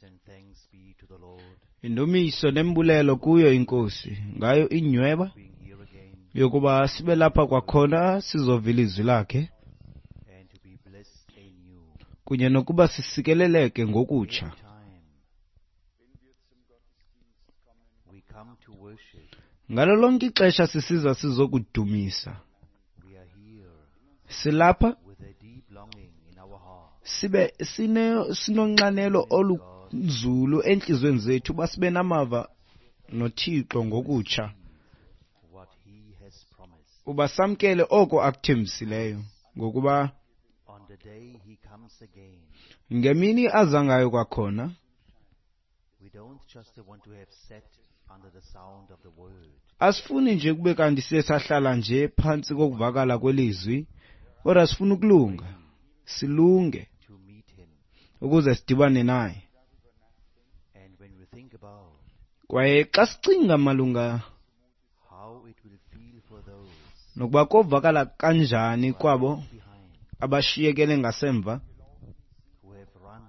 And thanks be to the Lord Indumiso nembulelo kuyo inkosi ngayo inyweba being here again yokuba sibe lapha kwakhona sizova ilizwi lakhe and to be blessed anew. Kunye nokuba sisikeleleke ngokutsha. Every time we come to worship, Ngalo lonke ixesha sisiza sizokudumisa. We are here Silapha with a deep longing in our heart sibe sine sinonxanelo olunzulu entliziyweni zethu uba sibe namava noThixo ngokutsha. What He has promised. Uba samkele oko akuthembisileyo ngokuba On the day He comes again, ngemini aza ngayo kwakhona we don't just want to have sat under the sound of the word. Asifuni nje kube kanti siye sahlala nje phantsi kokuvakala kwelizwi kodwa sifuna ukulunga silunge To meet Him. Ukuze sidibane naye. And when we think about Kwaye xa sicinga malunga how it will feel for those nokuba kovakala kanjani kwabo behind, abashiyekele ngasemva who have run,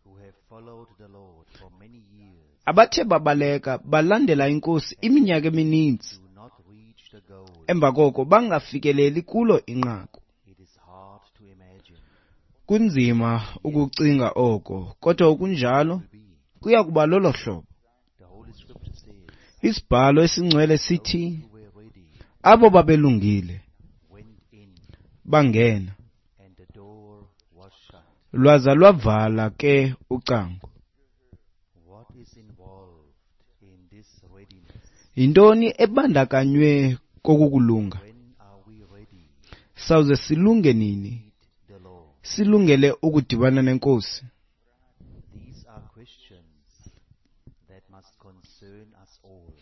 who have followed the Lord for many years, abathe babaleka balandela inkosi iminyaka emininzi do not reach the goal. Emva koko bangafikeleli kulo inqaku. It is hard to imagine. Kunzima ukucinga oko kodwa kunjalo Will be. Kuya kuba lolo hlobo. The Holy Scripture says, Isibhalo esingcwele sithi those who were ready abo babelungile went in, bangena and the door was shut. Lwaza lwavala ke ucango. What is involved in this readiness? Yintoni ebandakanywe kokukulunga? When are we ready Sawuze silunge nini? to meet the Lord? Silungele ukudibana nenkosi. These are questions that must concern us all.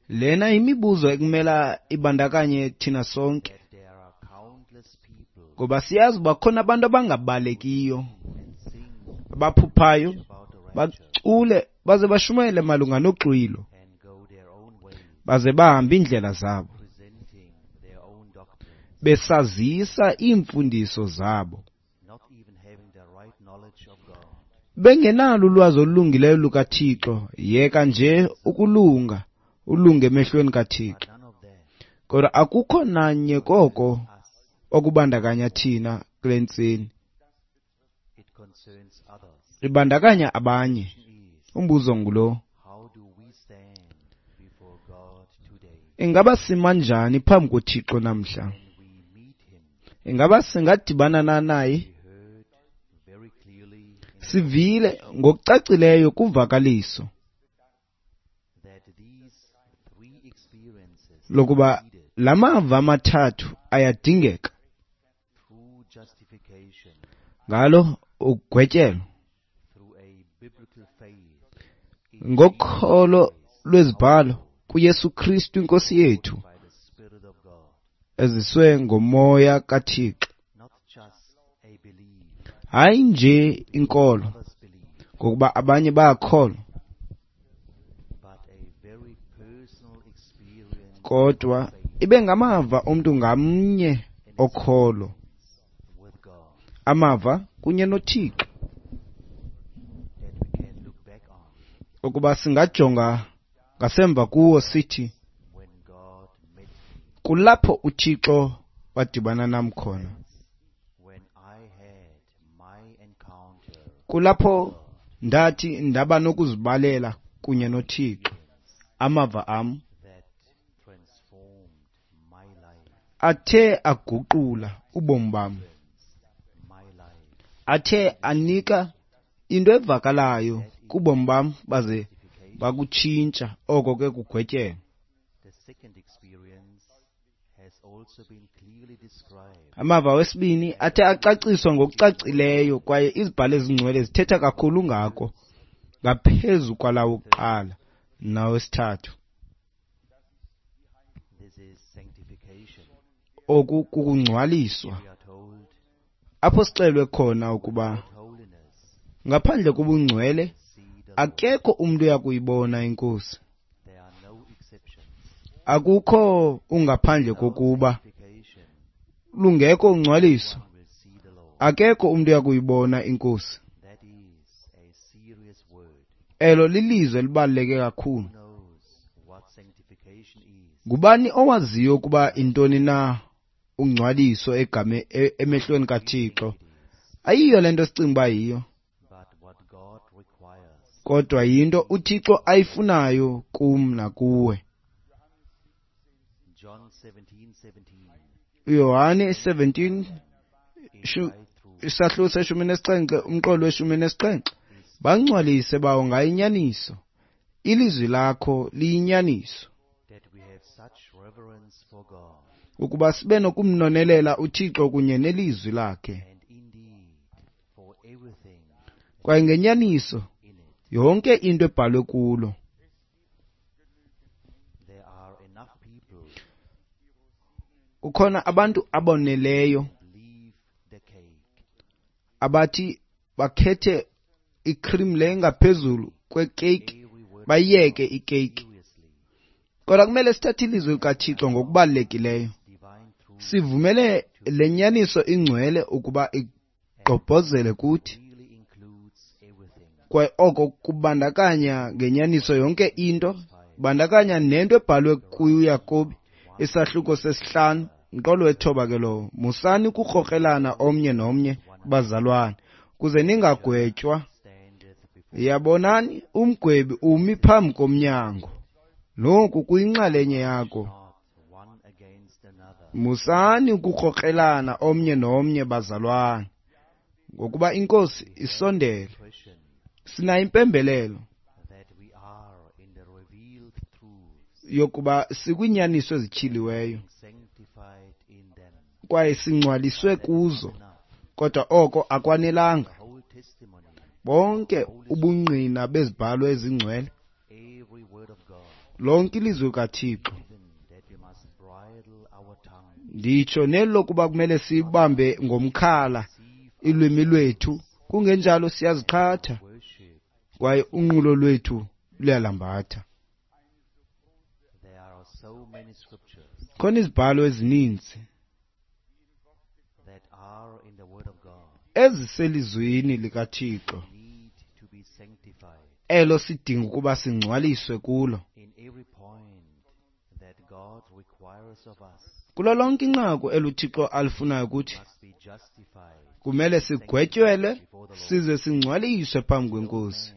Lena imibuzo ekumela ibandakanye thina sonke. That there are countless people Ngoba siyazi uba khona abantu abangabalekiyo and sing abaphuphayo about the rapture bacule baze bashumayele malunga noxwilo and go their own way, baze bahambe iindlela zabo presenting their own doctrines, besazisa iimfundiso zabo not even having the right knowledge of God. Bengenalo ulwazi olulungileyo lukaThixo yeka nje ukulunga ulunge emehlweni kaThixo. But none of that Kodwa akukho nanye koko us. Okubandakanya thina kule ntseni. It concerns others. Ibandakanya abanye. Is Umbuzo ngulo: how do we stand before God today? Ingaba sima njani phambi koThixo namhla? When we meet Him, Ingaba singadibana na naye? we heard very clearly in Sivile ngokucacileyo kuvakaliso that these three experiences lokuba needed la mava amathathu ayadingeka through justification, ngalo ugwetyelo through a biblical faith in ngokholo Jesus Christ, lwezibhalo our Lord, kuYesu Kristu inkosi yethu by the Spirit of God, eziswe ngomoya kaThixo not just a belief, hayi nje inkolo others believe, ngokuba abanye bayakholwa but a very personal experience kodwa of faith ibe ngamava omntu ngamnye and okholo experience with God amava kunye noThixo that we can look back on ukuba singajonga ngasemva kuwo sithi when God met me, kulapho uThixo wadibana nam khona when I had my encounter kulapho ndathi ndaba nokuzibalela kunye noThixo amava am that transformed my life, athe aguqula ubomi bam my life. Athe anika into evakalayo kubomi bam baze bakutshintsha oko ke kugwetyelwa. The second experience has also been clearly described Amava wesibini athe acaciswa ngokucacileyo kwaye izibhalo ezingcwele zithetha kakhulu ngako ngaphezu kwalawo kuqala nawesithathu. This is sanctification. Oku kukungcwaliswa We are told apho sixelwe khona ukuba without holiness ngaphandle kobungcwele see the Lord. Akekho umntu uyakuyibona inkosi. There are no exceptions. Akukho ungaphandle kokuba Sanctification, lungekho ungcwaliso one will see the Lord. akekho umntu uyakuyibona inkosi. That Elo lilizwi elibaluleke kakhulu. Who knows what sanctification is? Ngubani owaziyo ukuba intoni na ungcwaliso egame emehlweni kaThixo? Ayiyo le nto sicinga uba yiyo, But what God requires. kodwa yinto uThixo ayifunayo kum nakuwe. John 17:17. uYohane 17 In Shu- thy truth isahluko se-17 umqolo we-17, bangcwalise bawo ngayo inyaniso, ilizwi lakho liyinyaniso. that we have such reverence for God, Ukuba sibe nokumnonelela uThixo kunye nelizwi lakhe, and indeed for everything kwaye ngenyaniso in it. yonke into ebhalwe kulo. There are enough people Kukhona abantu aboneleyo leave the cake abathi bakhethe icream le engaphezulu kwekeyiki, every word bayiyeke ikeyiki. seriously. Kodwa kumele sithathe ilizwi likaThixo ngokubalulekileyo, Divine truth sivumele le nyaniso ingcwele ukuba igqobhozele kuthi, really includes everything. kwaye oko kubandakanya ngenyaniso yonke into, bandakanya nento ebhalwe kuYakobi isahluko 5 umqolo we-9 ke lowo. Musani ukukrokrelana omnye nomnye, bazalwane, kuze ningagwetywa. Standeth before Yabonani, umgwebi umi phambi komnyango. Noku kuyinxalenye yako. not one against another. Musani ukukrokrelana omnye nomnye, bazalwane, ngokuba iNkosi isondele. Impression Sinayo impembelelo that we are in the revealed truths, yokuba sikwiinyaniso ezityhiliweyo sanctified in them. kwaye singcwaliswe kuzo, Enough. kodwa oko akwanelanga. The whole testimony, Bonke ubungqina bezibhalo ezingcwele, every word of God, lonke ilizwi likaThixo, even that we must bridle our tongue, nditsho neli lokuba kumele sibambe ngomkhala ilwimi lwethu, kungenjalo siyaziqhatha worship. kwaye unqulo lwethu luyalambatha. There are so many scriptures Khona izibhalo ezininzi that are in the word of God eziselizwini likaThixo need to be sanctified elo sidinga ukuba singcwaliswe kulo. in every point that God requires of us Kulo lonke inqaku eluThixo alifunayo kuthi, must be justified. kumele sigwetyelwe size singcwaliswe phambi kweNkosi.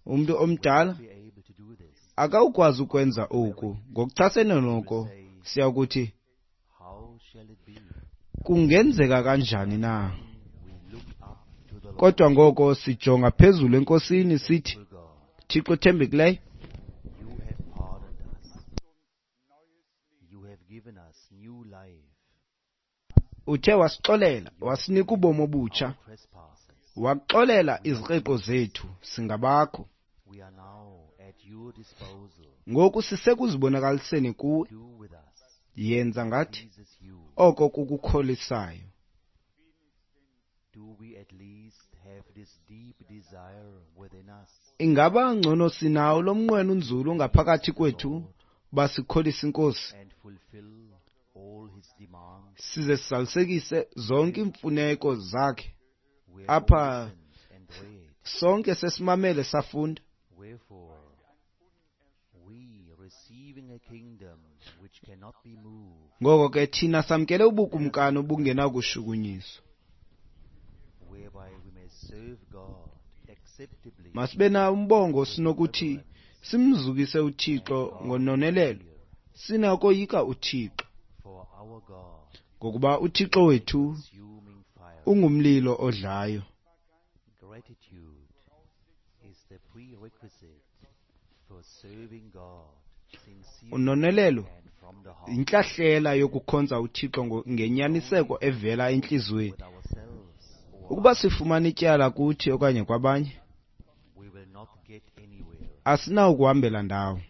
Umntu omdala Be able to do this. akawukwazi ukwenza oku. Ngokuchasene noko siyakuthi, How shall it be? kungenzeka kanjani na? We look up to the Lord, Kodwa ngoko sijonga phezulu eNkosini sithi, God. Thixo othembekileyo, You have pardoned us. You have given us new life. uthe wasixolela, wasinika ubomi obutsha, Our trespasses. waxolela izikreqo zethu, singabakho. We are now at your disposal. Ngoku sisekuzibonakaliseni kuwe, Do with us. yenza ngathi Pleases you. oko kukukholisayo. Do we at least have this deep desire within us? Ingaba ngcono sinawo lo mnqweno unzulu ngaphakathi kwethu uba sikholise iNkosi, And fulfill all his demands. size sizalisekise zonke iimfuneko zakhe. We have Apha listened and read. sonke sesimamele safunda. Wherefore, we receiving a kingdom which cannot be moved, Ngoko ke thina samkele ubukumkani obungenakushukunyiswa, whereby we may serve God acceptably masibe nawo umbongo sinokuthi simzukise uThixo ngononelelo, sinakoyika uThixo, for our God, ngokuba uThixo wethu consuming fire. ungumlilo odlayo. Gratitude is the prerequisite for serving God sincerely Unonelelo and from the heart yintlahlela yokukhonza uThixo ngenyaniseko evela entliziyweni. with ourselves or Ukuba sifumana ityala kuthi okanye kwabanye, we will not get anywhere. asinawukuhambela ndawo.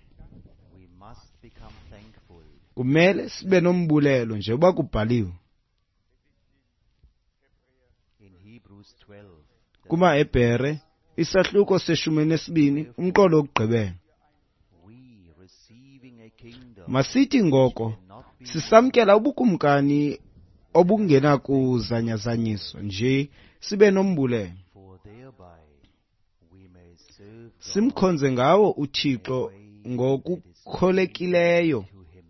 We must become thankful Kumele sibe nombulelo njengoba kubhaliwe in Hebrews 12. the kumaHebhere isahluko se-12 umqolo wokugqibela. We receiving a kingdom Masithi ngoko cannot be sisamkela ubukumkani obungenakuzanyazanyiswa nje sibe nombulelo, for thereby we may serve God Simkhonze ngawo uThixo ngokukholekileyo. to him.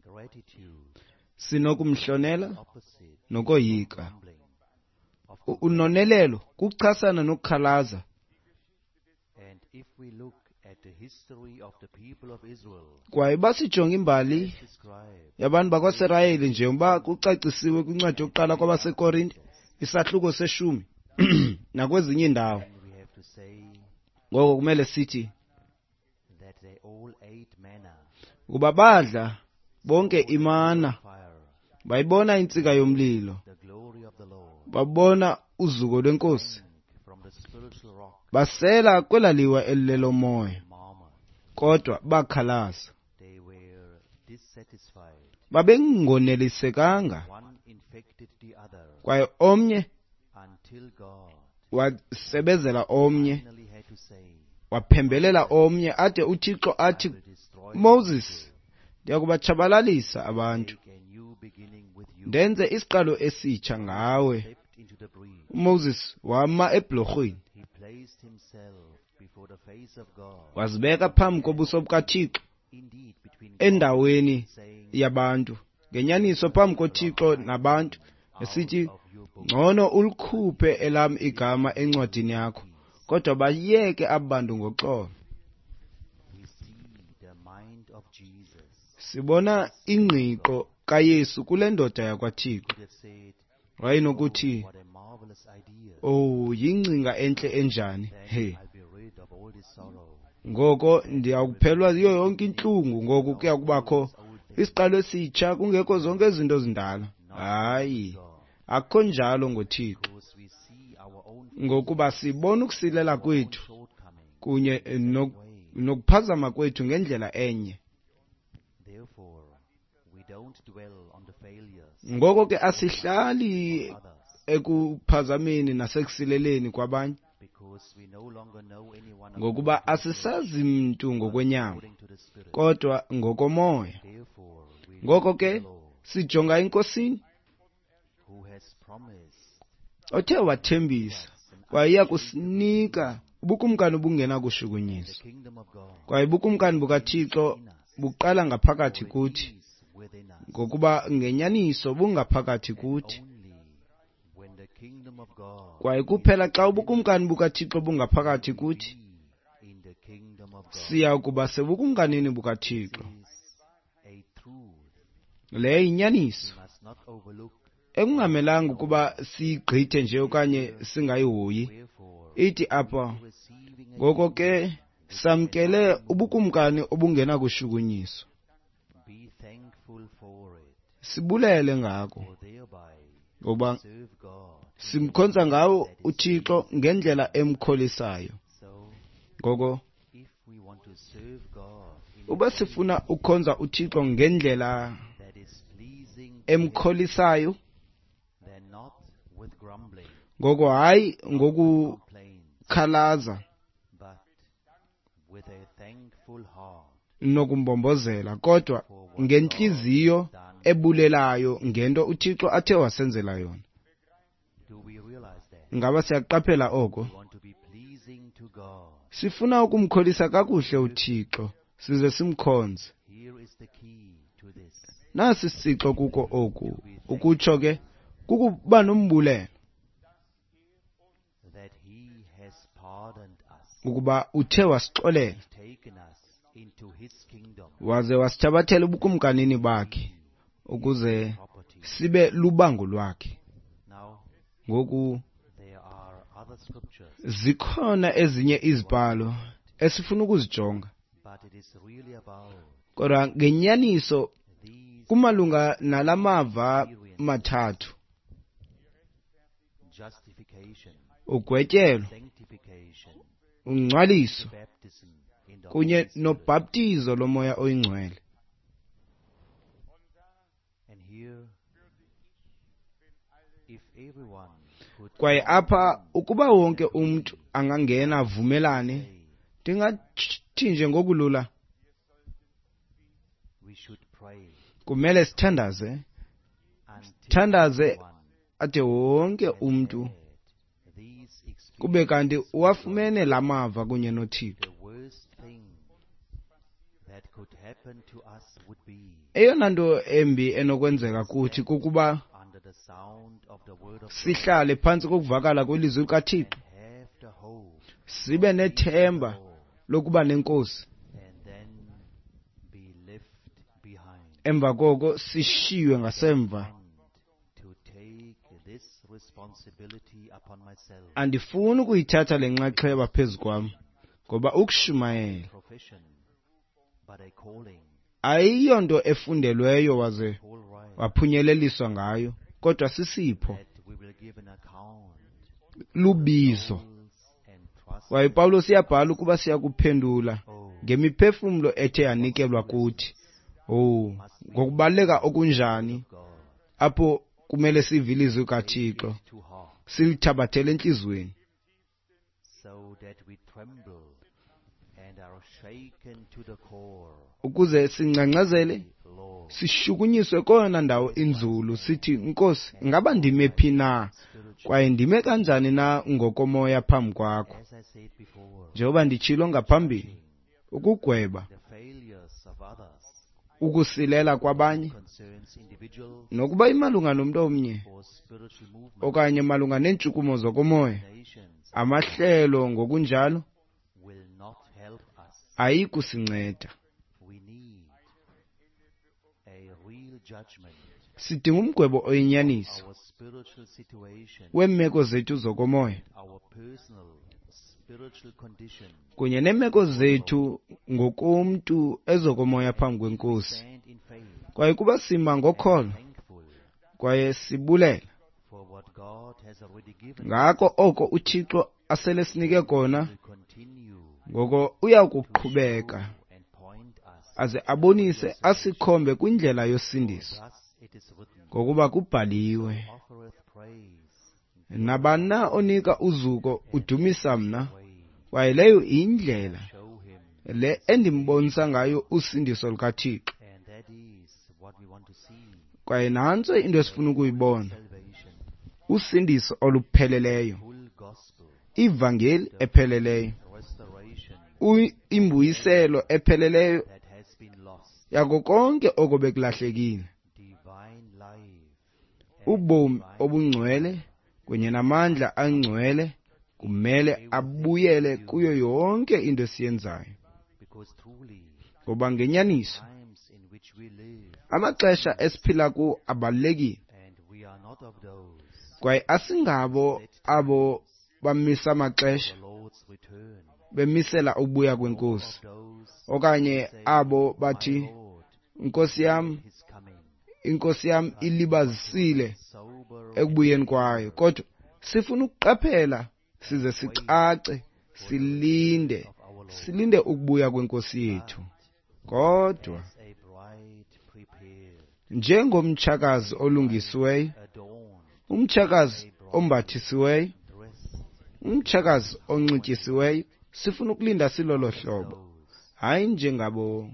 Gratitude Sinokumhlonela opposite nokoyika. grumbling of Unonelelo kuchasana nokukhalaza. And if we look at the history of the people of Israel Kwaye basijonga imbali described yabantu bakwaSirayeli njengoba kucacisiwe kwincwadi yokuqala kwabaseKorinte isahluko seshumi nakwezinye iindawo. then we have to say Ngoko kumele sithi that they all ate manna, ukuba badla bonke imana, fire, bayibona intsika yomlilo, the glory of the Lord, babona uzuko lwenkosi, from the spiritual rock basela kwelaliwa elilelomoya, murmured. kodwa bakhalaza. They were dissatisfied. Babengonelisekanga, One infected the other kwaye omnye until God wasebezela omnye, finally had to say, waphembelela omnye, ade uThixo athi, I will destroy the Moses, ndiyakubatshabalalisa abantu, make a new beginning with you. ndenze isiqalo esitsha ngawe. Stepped into the breach. uMoses wama eblorhweni, He placed himself before the face of God. wazibeka phambi kobuso bukaThixo Indeed, between God endaweni saying, yabantu, ngenyaniso phambi koThixo nabantu, esithi, of your book, ngcono ulikhuphe elam igama encwadini yakho, kodwa bayeke aba bantu ngoxolo. we see the mind of Jesus. Sibona ingqiqo kaYesu kule ndoda yakwaThixo. Could have said, Wayenokuthi, what a marvelous idea. "Oh, yingcinga entle enjani. Then He, I'll be rid of all this sorrow. ngoko ndiyakuphelwa yiyo yonke intlungu, ngoku kuya kubakho isiqalo esitsha, kungekho zonke izinto ezindala." Hayi, akukho njalo ngoThixo, Because we see our own ngokuba sibona ukusilela kwethu shortcoming. kunye nokuphazama kwethu ngendlela enye. Therefore, we don't dwell on the failures Ngoko ke asihlali of others ekuphazameni nasekusileleni kwabanye, because we no longer know anyone ngokuba asisazi mntu ngokwenyama, according to the Spirit. kodwa ngokomoya. Therefore, we Ngoko look to ke the Lord, sijonga eNkosini who has promised othe wathembisa kwaye iya kusinika ubukumkani the obungenakushukunyiswa. kingdom of God Kwaye ubukumkani bukaThixo buqala ngaphakathi kuthi, is within us. ngokuba ngenyaniso bungaphakathi kuthi. Only when the kingdom of God Kwaye kuphela xa ubukumkani bukaThixo bungaphakathi kuthi, be in the kingdom of God siya kuba sebukumkanini bukaThixo. is a truth Le yinyaniso we must not overlook. ekungamelanga ukuba siyigqithe nje okanye singayihoyi. Wherefore, Ithi apha, receiving a ngoko ke samkele ubukumkani obungenakushukunyiswa, be thankful for it, sibulele ngako, for thereby ngoba serve God. simkhonza ngawo uThixo ngendlela emkholisayo. So, Ngoko if we want to serve God in uba sifuna ukukhonza uThixo ngendlela that is pleasing to Him, emkholisayo, then not with grumbling, ngoko hayi complaints, ngokukhalaza but with a thankful heart nokumbombozela, kodwa ngentliziyo ebulelayo ngento uThixo athe wasenzela yona. Do we realize that? Ngaba siyaqaphela oko? We want to be pleasing to God. Sifuna ukumkholisa kakuhle uThixo size simkhonze. Here is the key to this. Nasi isixo kuko oku, ukutsho ke kukuba nombulelo That He has pardoned us, ukuba uthe wasixolela taken us into His kingdom, waze wasithabathela ubukumkanini bakhe ukuze property. sibe lubango lwakhe. Now, Ngoku there are other scriptures, zikhona ezinye izibhalo esifuna ukuzijonga, but it is really about kodwa ngenyaniso these kumalunga nalamava mathathu: justification, ugwetyelo, sanctification, ungcwaliso baptism in the kunye Holy Spirit. nobhaptizo lomoya oyingcwele. And here, if everyone could Kwaye apha ukuba wonke umntu angangena avumelane, say, ndingathi nje ngokulula, we should pray kumele sithandaze, until thandaze everyone ade wonke umntu had Kube kanti uwafumene la mava kunye noThixo. Eyona nto embi enokwenzeka kuthi kukuba sihlale phantsi kokuvakala kwelizwi likaThixo, sibe nethemba lokuba nenkosi, emva koko sishiywe ngasemva. Andifuni ukuyithatha le nxaxheba phezu kwam, ngoba ukushumayela ayiyonto efundelweyo waze waphunyeleliswa ngayo, kodwa sisipho, lubizo. Kwaye uPawulos uyabhala ukuba siyakuphendula ngemiphefumlo ethe yanikelwa kuthi. Oh, ngokubaluleka okunjani apho kumele sive ilizwi kaThixo, silithabathele entliziyweni, ukuze singcangcazele, sishukunyiswe kona ndawo inzulu, sithi, Nkosi, ngaba ndime phi na, kwaye ndime kanjani na ngokomoya phambi kwakho? Njengoba nditshilo ngaphambili, ukugweba ukusilela kwabanye, nokuba imalunga nomntu omnye okanye malunga neentshukumo zokomoya, amahlelo ngokunjalo ayikusinceda. Sidinga umgwebo oyinyaniso weemeko zethu zokomoya kunye neemeko zethu ngokomntu ezokomoya phambi kweNkosi. Kwaye kuba sima ngokholo kwaye sibulela ngako oko uThixo asele sinike kona, ngoko uya kuqhubeka aze abonise asikhombe kwindlela yosindiso, ngokuba kubhaliwe, nabani na onika uzuko udumisa mna, kwaye leyo indlela le endimbonisa ngayo usindiso lukaThixo. Kwaye nantso into esifuna ukuyibona, usindiso olupheleleyo, ivangeli epheleleyo, imbuyiselo epheleleyo yako konke oko bekulahlekile, ubomi obungcwele kunye namandla angcwele kumele abuyele kuyo yonke into esiyenzayo. Ngoba ngenyaniso amaxesha esiphila kuwo abalulekile, kwaye asingabo abo bamisa amaxesha bemisela ukubuya kwenkosi, okanye abo bathi, Nkosi yam, inkosi yam ilibazisile ekubuyeni kwayo. Kodwa sifuna ukuqaphela size sicace, silinde, silinde ukubuya kwenkosi yethu. Kodwa njengomtshakazi olungisiweyo, umtshakazi ombathisiweyo, umtshakazi onxityisiweyo, sifuna ukulinda silolo hlobo, hayi njengabo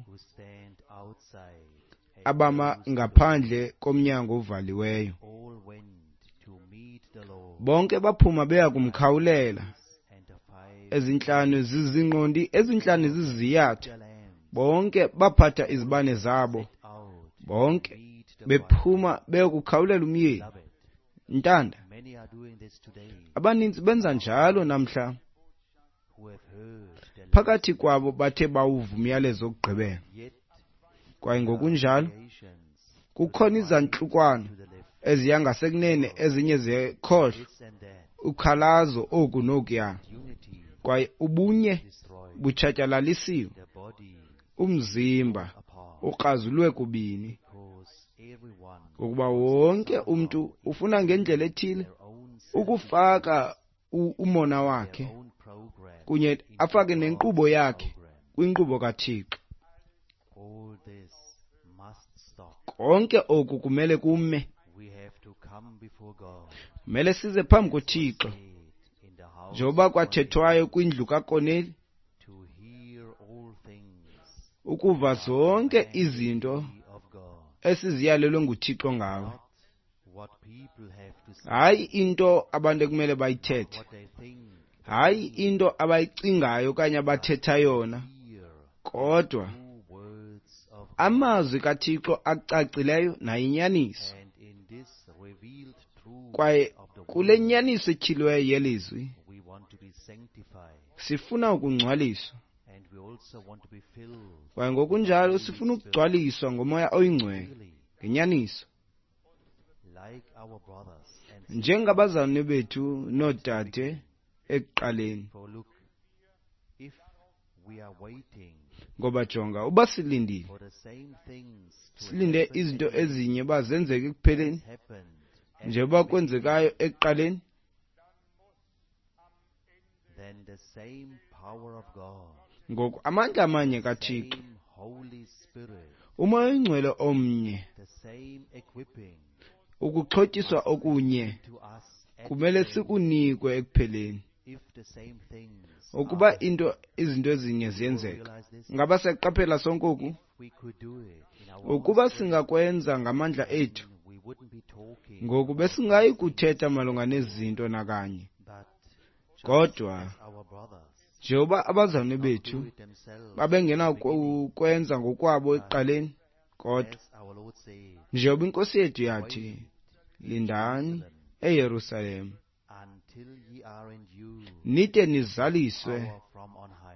abama ngaphandle komnyango ovaliweyo. Bonke baphuma beya kumkhawulela. Ezintlanu zizingqondi, ezintlanu ziziyatha. Bonke baphatha izibane zabo, bonke bephuma beyokukhawulela umyeni. Ntanda, abaninzi benza njalo namhla. Phakathi kwabo bathe bawuva umyalezo wokugqibela, kwaye ngokunjalo kukhona izantlukwano eziya ngasekunene, ezinye zekhohlo, ukhalazo oku nokuya, kwaye ubunye butshatyalalisiwe, umzimba ukrazulwe kubini, ngokuba wonke umntu ufuna ngendlela ethile ukufaka umona wakhe kunye afake nenkqubo yakhe kwinkqubo kaThixo. Konke oku kumele kume. Kumele size phambi koThixo, njengoba kwathethwayo kwindlu kaKorneli, ukuva zonke izinto esiziyalelwe nguThixo ngawe, Hayi into abantu ekumele bayithethe, hayi into abayicingayo okanye abathetha yona, kodwa amazwi kaThixo acacileyo nayinyaniso. Kwaye kule nyaniso etyhiliweyo yelizwi sifuna ukungcwaliswa, kwaye ngokunjalo sifuna ukugcwaliswa ngoMoya oyiNgcwele ngenyaniso. Njengabazalwane bethu noodade ekuqaleni. Ngoba jonga, uba silindile, silinde izinto ezinye uba zenzeke ekupheleni, njengoba kwenzekayo ekuqaleni, ngoku amandla amanye kaThixo, uMoya oyiNgcwele omnye, ukuxhotyiswa okunye kumele sikunikwe ekupheleni. Ukuba izinto ezinye ziyenzeka, ngaba siyaqaphela sonke oku? Ukuba singakwenza ngamandla ethu, ngoku besingayi kuthetha malunga nezinto nakanye. Kodwa njengoba abazalwane bethu babengenakukwenza ngokwabo ekuqaleni, kodwa njengoba iNkosi yethu yathi, lindani eYerusalem nide nizaliswe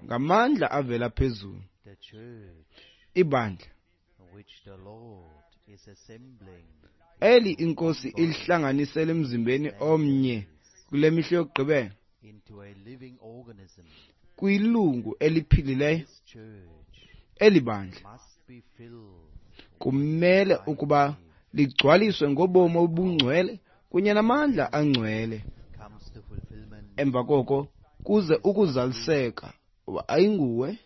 ngamandla avela phezulu. Ibandla eli iNkosi ilihlanganisele emzimbeni omnye kule mihla yokugqibela, kwilungu eliphilileyo, eli bandla kumele ukuba ligcwaliswe ngobomi obungcwele kunye namandla angcwele. Emva koko kuze ukuzaliseka ayinguwe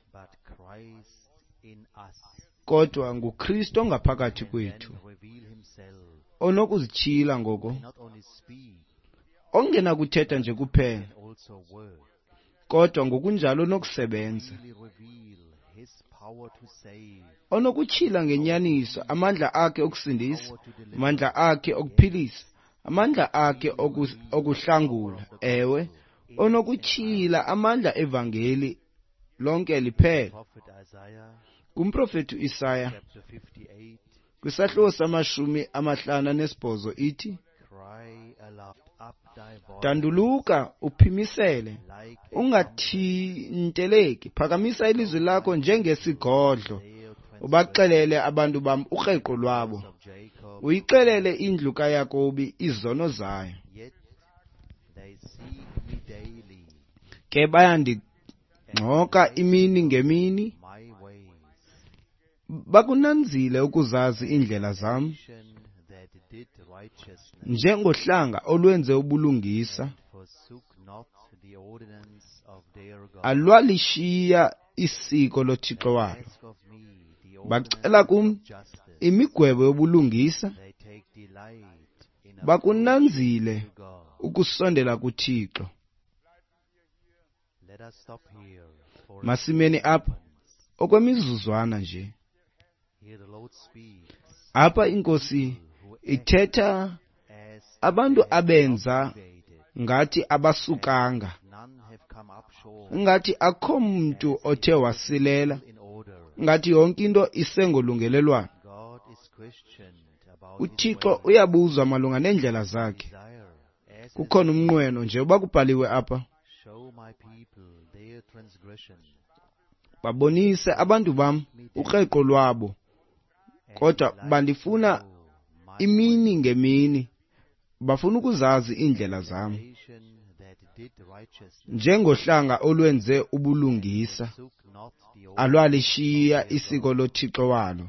kodwa nguKristu ongaphakathi kwethu, onokuzityhila ngoko, ongenakuthetha nje kuphela, kodwa ngokunjalo onokusebenza, onokutyhila ngenyaniso amandla akhe okusindisa, amandla akhe okuphilisa, amandla akhe okuhlangula, ewe, onokutyhila amandla evangeli lonke liphela. Kumprofeti uIsaya kwisahluko sama-58 ithi, danduluka uphimisele, ungathinteleki, phakamisa ilizwi lakho njengesigodlo, ubaxelele abantu bam ukreqo lwabo, uyixelele indlu kaYakobi izono zayo. Ke bayandingxoka imini ngemini, bakunanzile ukuzazi iindlela zam, njengohlanga olwenze ubulungisa, alwalishiya isiko loThixo walo. Bacela kum imigwebo yobulungisa, bakunanzile ukusondela kuThixo. Masimeni apha okwemizuzwana nje. Apha iNkosi ithetha abantu abenza ngathi abasukanga, ngathi akho mntu othe wasilela, ngathi yonke into isengolungelelwano. uThixo uyabuzwa malunga neendlela zakhe. Kukhona umnqweno nje uba kubhaliwe apha, babonise abantu bam ukreqo lwabo, kodwa bandifuna imini ngemini, bafuna ukuzazi iindlela zam, njengohlanga olwenze ubulungisa, alwalishiya isiko loThixo walo.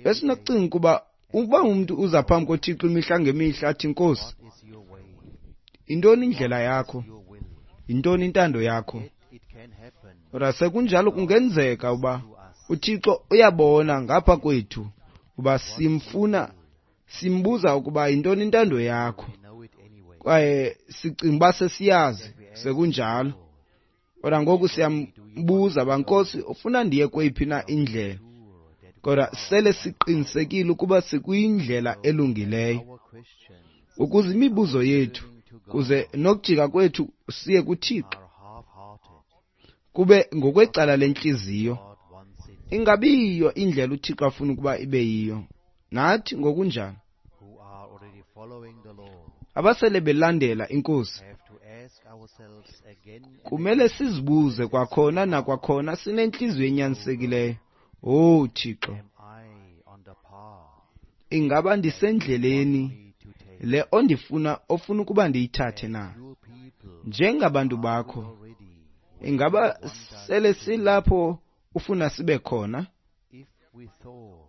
Besinokucinga ukuba uba umntu uza phambi koThixo imihla ngemihla athi, Nkosi, yintoni indlela yakho? Yintoni intando yakho? Kodwa sekunjalo kungenzeka uba uThixo uyabona ngapha kwethu uba simfuna, simbuza ukuba yintoni intando yakho, kwaye sicinga uba sesiyazi, sekunjalo. Kodwa ngoku siyambuza uba, Nkosi, ufuna ndiye kweyiphi na indlela? Kodwa sele siqinisekile ukuba sikwindlela elungileyo, Our questions ukuze imibuzo yethu kuze nokujika kwethu siye kuThixo are half-hearted. kube ngokwecala lentliziyo, God wants it. ingabiyiyo indlela uThixo afuna ukuba ibe yiyo. Nathi ngokunjalo Who are already following the Lord abasele belandela iNkosi have to ask ourselves again and kumele sizibuze kwakhona nakwakhona sinentliziyo enyanisekileyo. Oh Thixo, am I on the path ingaba ndisendleleni me to take? le ondifuna ofuna ukuba ndiyithathe na? Your people Njengabantu bakho, already, ingaba sele silapho ufuna sibe khona? if we thought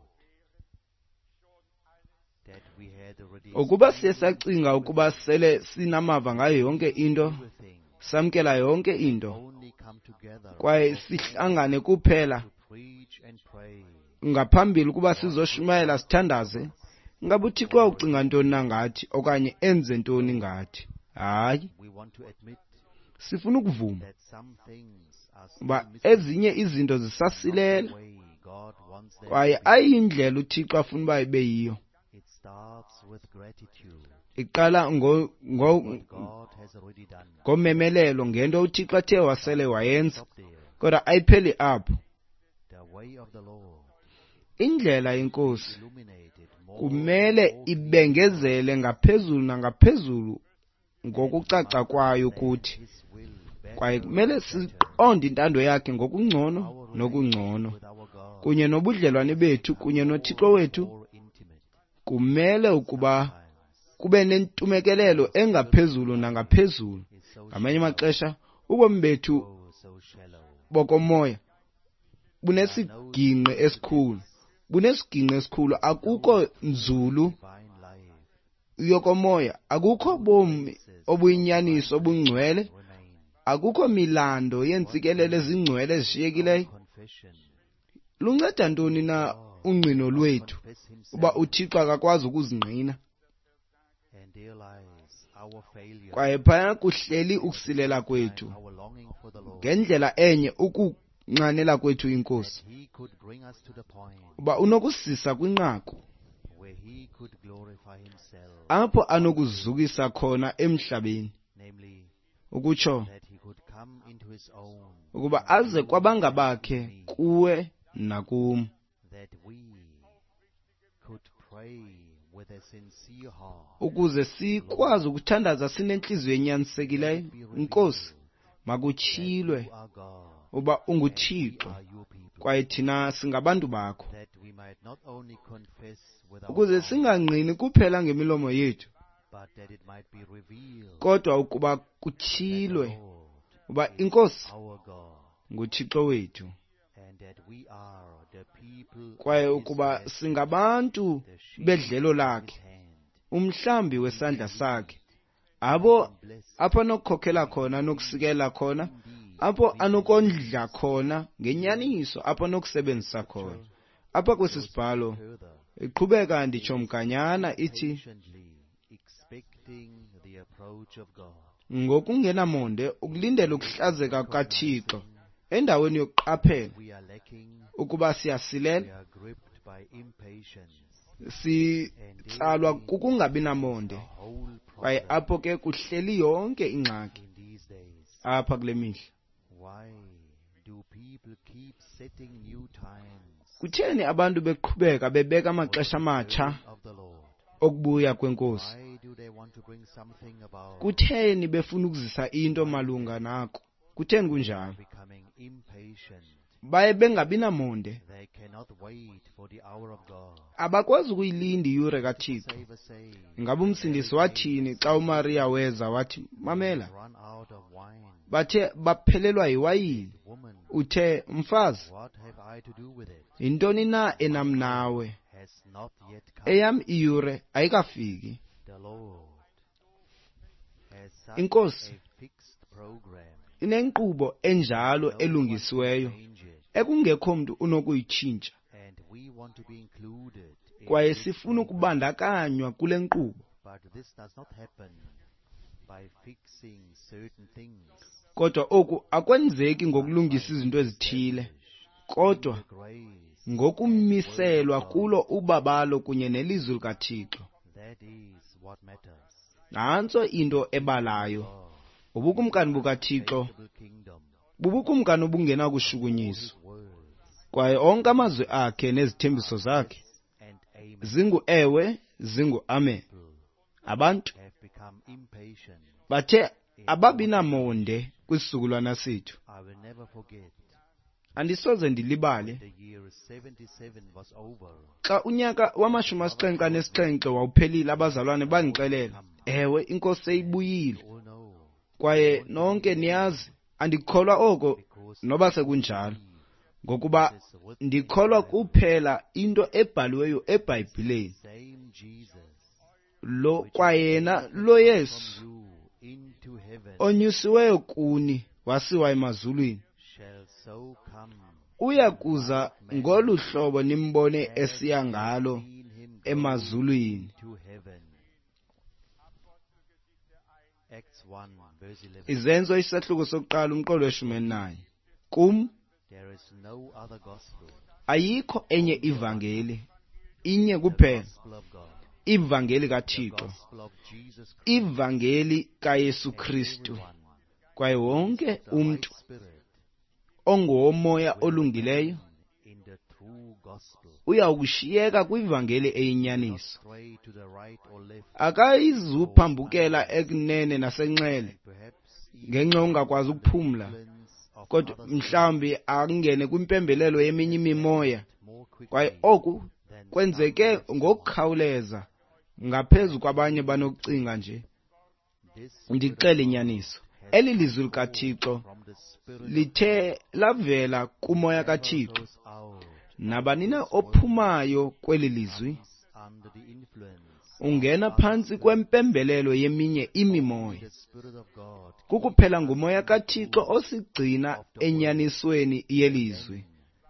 that we had already Ukuba siye sacinga ukuba sele sinamava ngayo yonke into, everything, samkela yonke into, only come together kwaye sihlangane kuphela to preach and pray, ngaphambili ukuba sizoshumayela sithandaze, ngabe uThixo wawucinga ntoni na ngathi okanye enze ntoni ngathi? Hayi, we want to admit sifuna ukuvuma that some things are still uba missing, ezinye izinto not zisasilela the way God wants them kwaye to be. ayindlela uThixo afuna uba ibe yiyo. It starts with gratitude, Iqala what God has already done. ngomemelelo ngento uThixo athe wasele wayenza, Stop there. kodwa ayipheli apho. The way of the Lord Indlela yeNkosi illuminated more kumele and more ibengezele ngaphezulu nangaphezulu ngokucaca kwayo kuthi, His will better kwaye kumele and better. siqonde intando yakhe ngokungcono Our nokungcono, relationship with our God kunye nobudlelwane bethu kunye noThixo wethu more intimate. kumele ukuba Sometimes kube nentumekelelo engaphezulu nangaphezulu. is so Ngamanye amaxesha ubomi bethu oh, so shallow. bokomoya bunesiginqi esikhulu, bunesiginqi esikhulu. Akukho nzulu Divine life yokomoya, akukho bomi obuyinyaniso obungcwele, remain. akukho milando yeentsikelelo ezingcwele ezishiyekileyo. Confession. Lunceda ntoni na ungqino lwethu Confess himself, uba uThixo akakwazi ukuzingqina? and there lies our failure, Kwaye phaya kuhleli ukusilela kwethu, our longing for the Lord, ngendlela enye ukunxanela kwethu iNkosi, that he could bring us to the point uba unokusisa kwinqaku where he could glorify himself, apho anokuzukisa khona emhlabeni, namely ukutsho that he could come into his own, ukuba aze kwabangabakhe kuwe nakum, that we could pray with a sincere heart, ukuze sikwazi ukuthandaza sinentliziyo enyanisekileyo. Nkosi, makutyhilwe you are God, uba we unguThixo are your people, kwaye thina singabantu bakho, that we might not only confess with our ukuze mouth, singangqini kuphela ngemilomo yethu, but that it might be revealed kodwa ukuba that the kutyhilwe Lord uba is iNkosi our God, nguThixo wethu, and that we are the people kwaye of his ukuba pasture, singabantu the sheep bedlelo of lakhe, his hand. umhlambi wesandla sakhe, abo Bless apho anokukhokela khona anokusikela khona, apho anokondla khona ngenyaniso, apho anokusebenzisa khona. Apha kwesi sibhalo further, iqhubeka nditsho mganyana ithi, patiently expecting the approach of God, ngokungenamonde ukulindela ukuhlazeka kukaThixo endaweni yokuqaphela we are lacking, ukuba we siyasilela, are gripped by impatience, sitsalwa kukungabi namonde, the whole kwaye problem apho ke kuhleli yonke ingxaki in these days. apha kule mihla. Why do people keep setting new times Kutheni abantu beqhubeka bebeka for the amaxesha amatsha return of the Lord? okubuya kwenkosi? Why do they want to bring something about Kutheni befuna ukuzisa into malunga nako? Kutheni kunjalo? becoming impatient? Baye bengabi namonde, They cannot wait for the hour of God. abakwazi ukuyilinda iyure kaThixo. Savior say, Ingabe umsindisi wathini xa uMariya weza wathi, mamela, run out of wine. bathe baphelelwa yiwayini. Woman, Uthe, mfazi, what have I to do with it? yintoni na enam nawe? Has not yet come. Eyam iyure ayikafiki. The Lord has such Inkosi a fixed program. inenkqubo enjalo No one can elungisiweyo change it. ekungekho mntu unokuyitshintsha, And we want to be included in kwaye this sifuna program. ukubandakanywa kule nkqubo. But this does not happen by fixing certain things. Kodwa oku akwenzeki ngokulungisa izinto ezithile, Established Kodwa the grace. ngokumiselwa kulo ubabalo kunye nelizwi likaThixo. That is what matters. Nantso into ebalayo. God, Ubukumkani bukaThixo unshakable kingdom, bubukumkani obungenakushukunyiswa. His words Kwaye onke amazwi akhe nezithembiso zakhe and amen zingu-ewe, zingu-amen. Abantu have become impatient. bathe ababi namonde kwisizukulwana sethu. I will never forget Andisoze ndilibale the year 77 was over. xa unyaka wama-77 wawuphelile, abazalwane bandixelela, ewe, inkosi seyibuyile. You all know Kwaye nonke niyazi, andikholwa oko because noba sekunjalo, ngokuba ndikholwa kuphela into ebhaliweyo eBhayibhileni. same Jesus Lo kwayena lo Yesu from you into heaven onyusiweyo kuni wasiwa emazulwini shall so come uya kuza ngolu hlobo nimbone esiya ngalo seen him go emazulwini. to heaven. Acts 1 verse 11. Izenzo isahluko sokuqala umqolo weshumi-elinanye. Kum There is no other gospel, ayikho enye ivangeli, inye the kuphela, gospel of God, ivangeli the kaThixo, gospel of Jesus Christ. ivangeli kaYesu And Kristu. everyone Kwaye wonke of the right umntu spirit ongowomoya will olungileyo remain in the true gospel, uyawukushiyeka kwivangeli not eyinyaniso. stray to the right or left, Akayizuphambukela ekunene nasenxele and perhaps even ngenxa yongakwazi ukuphumla, influence of kodwa other spirits mhlawumbi angene kwimpembelelo yeminye imimoya. more Kwaye quickly oku than some kwenzeke have thought. ngokukhawuleza ngaphezu kwabanye banokucinga nje. This word of Ndixele God inyaniso, has eli come lizwi forth likaThixo from the Spirit of lithe lavela kumoya Whoever kaThixo. goes out Nabani na this word ophumayo kweli lizwi comes under the influence of ungena other phantsi spirits. kwempembelelo yeminye Only imimoya. the Spirit of God Kukuphela keeps us ngumoya in the kaThixo truth osigcina of the word, enyanisweni and yelizwi. then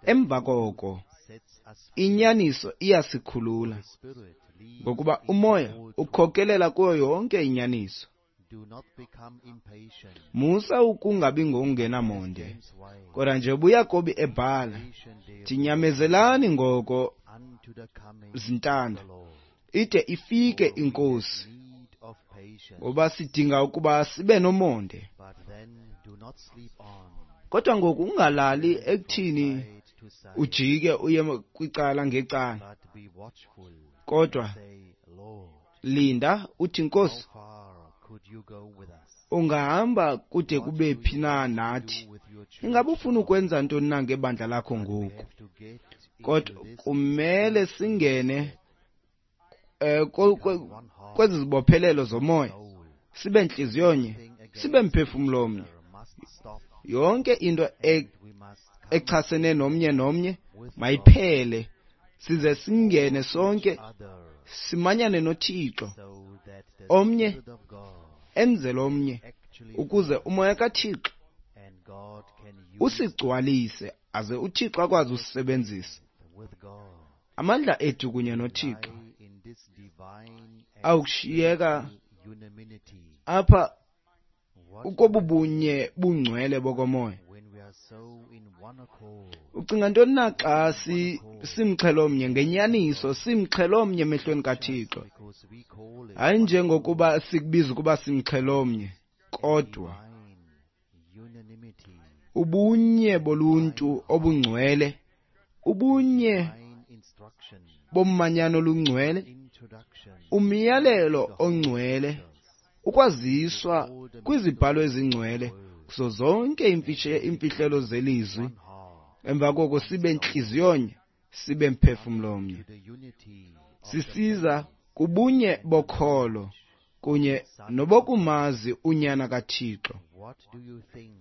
the Emva truth koko sets us free. inyaniso iyasikhulula, The Spirit leads ngokuba into umoya all truth. ukhokelela kuyo yonke inyaniso. Do not become impatient. Musa ukungabi As ngokungenamonde. James writes, Kodwa nje ubuYakobi ebhala, patient therefore tinyamezelani ngoko unto the coming of zintanda, the Lord. ide ifike For we have inkosi, need of patience. ngoba sidinga ukuba sibe nomonde. But then do not sleep on. Kodwa ngoku ungalali Turn from ekuthini side to side, ujike uye kwicala ngecala, but be watchful and kodwa say, Lord, linda uthi how Nkosi, far could you go with us? ungahamba kude What kube do phi you na want to nathi? do with your church Ingaba ufuna now? ukwenza ntoni na ngebandla lakho But we ngoku? have to get Kodwa into this kumele spiritual singene step, become one heart, kwezi zibophelelo zomoya, soul. sibe ntliziyonye, Everything sibe against each mphefumlo omnye. other must stop, Yonke into and we must come echasene nomnye nomnye with God mayiphele, size singene for each sonke other, simanyane noThixo, so that the omnye Spirit of God enzele omnye, actually ukuze fills umoya kaThixo and God can use us usigcwalise, aze uThixo akwazi usisebenzisa. with God. Amandla ethu kunye noThixo Lie in this divine and awukushiyeka spiritual unanimity. apha What do you ukobubunye think bungcwele bokomoya. when we are so in one accord, Ucinga ntoni na xa in one accord simxhelomnye in the ngenyaniso, God, simxhelomnye emehlweni not just kaThixo? because we call it Hayi one njengokuba accord, sikubiza ukuba simxhelomnye, a kodwa divine unanimity, ubunye a boluntu divine heart, obungcwele, a ubunye divine instruction, bomanyano olungcwele, introduction into umyalelo the Holy ongcwele, Scriptures, ukwaziswa with all the kwizibhalo mysteries of the ezingcwele word, kuzo zonke and then imfihlelo zelizwi. one heart, Emva koko one sibe soul, ntliziyonye, sibe coming mphefumlomnye, to the unity of the sisiza faith kubunye and the bokholo knowledge of kunye the Son of God. nobokumazi uNyana kaThixo. What do you think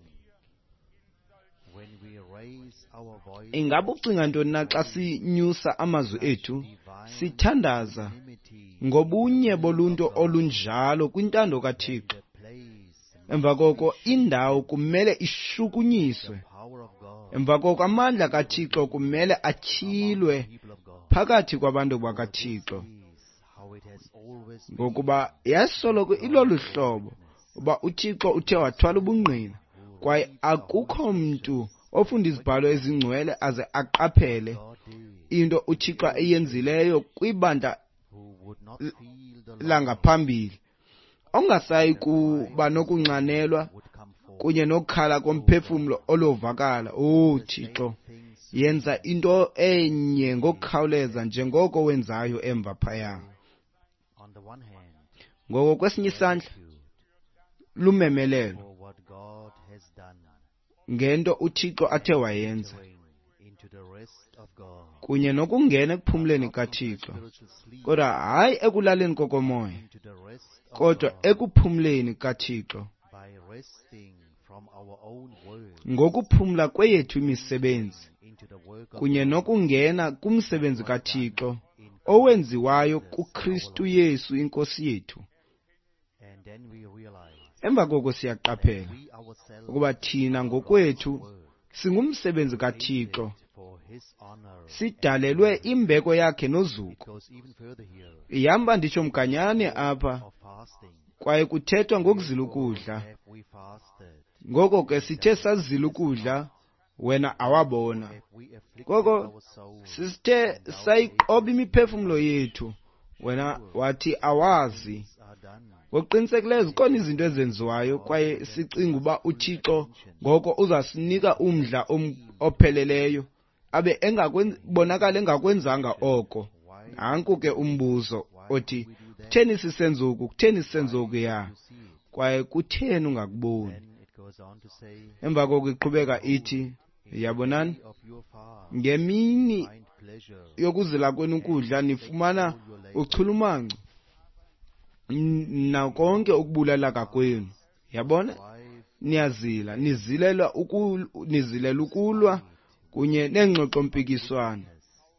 when we raise our Ingaba voices ucinga ntoni and na xa pray sinyusa amazwi such ethu divine sithandaza unanimity in the ngobunye will of boluntu God? olunjalo kwintando Then kaThixo? the place Emva must be koko indawo shaken. kumele The ishukunyiswe. power of God Emva koko amandla will kaThixo be kumele among the atyhilwe people of God. phakathi kwabantu For this bakaThixo, is how it has always been ngokuba yasoloko with God ilolu bore hlobo witness. uba uThixo uthe wathwala No ubungqina, one who kwaye reads the Holy akukho mntu Scriptures Ofunda izibhalo ezingcwele aze aqaphele into uThixo ayenzileyo kwibandla langaphambili, ongasayi kuba nokunxanelwa kunye nokukhala komphefumlo olovakala. Oh Thixo, yenza into enye ngokukhawuleza njengoko wenzayo emva phaya. Ngoko kwesinye isandla lumemelelo ngento uThixo athe wayenza kunye nokungena ekuphumleni kaThixo, kodwa hayi ekulaleni kokomoya, kodwa ekuphumleni kaThixo ngokuphumla kweyethu imisebenzi kunye nokungena kumsebenzi kaThixo owenziwayo kuKristu Yesu iNkosi yethu. Emva koko siyaqaphela ukuba thina ngokwethu singumsebenzi kaThixo, sidalelwe imbeko yakhe nozuko. Ihamba nditsho mganyane apha, kwaye kuthethwa ngokuzila ukudla. Ngoko ke sithe sazila ukudla, wena awabona. Ngoko sithe sayiqoba imiphefumlo yethu, wena wathi awazi. Ngokuqinisekileyo zikhona izinto ezenziwayo kwaye sicinga uba uThixo ngoko uzasinika umdla opheleleyo, abe bonakala engakwenzanga oko. Nanku ke umbuzo othi, kutheni sisenza oku, kutheni sisenza okuya, kwaye kutheni ungakuboni? Emva koko iqhubeka ithi, yabonani, ngemini yokuzila kwenu ukudla nifumana uchulumanco nakonke ukubulaleka kwenu. Yabona, niyazila, nizilela ukulwa kunye neengxoxo-mpikiswano,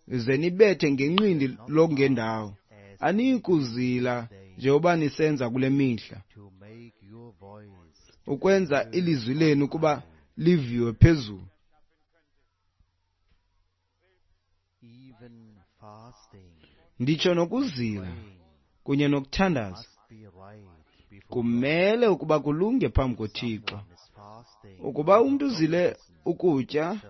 ze nibethe ngenqindi lokungendawo. Anikuzila njengoba nisenza kule mihla, ukwenza ilizwi lenu kuba liviwe phezulu. Nditsho nokuzila kunye nokuthandaza kumele ukuba kulunge phambi koThixo. Ukuba umntu uzile ukutya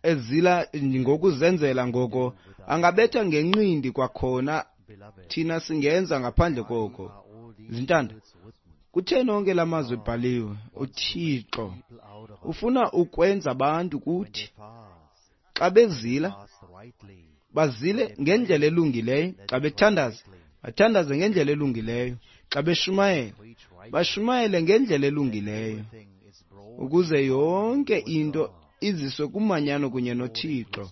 ezila ngokuzenzela, ngoko angabetha ngenqindi kwakhona. Thina singenza ngaphandle koko. Zintanda, kutheni onke la mazwi ebhaliwe? UThixo ufuna ukwenza abantu kuthi xa bezila, bazile ngendlela elungileyo. Xa bethandaza, bathandaze ngendlela elungileyo. Xa beshumayela, bashumayele ngendlela elungileyo, ukuze yonke into iziswe kumanyano kunye noThixo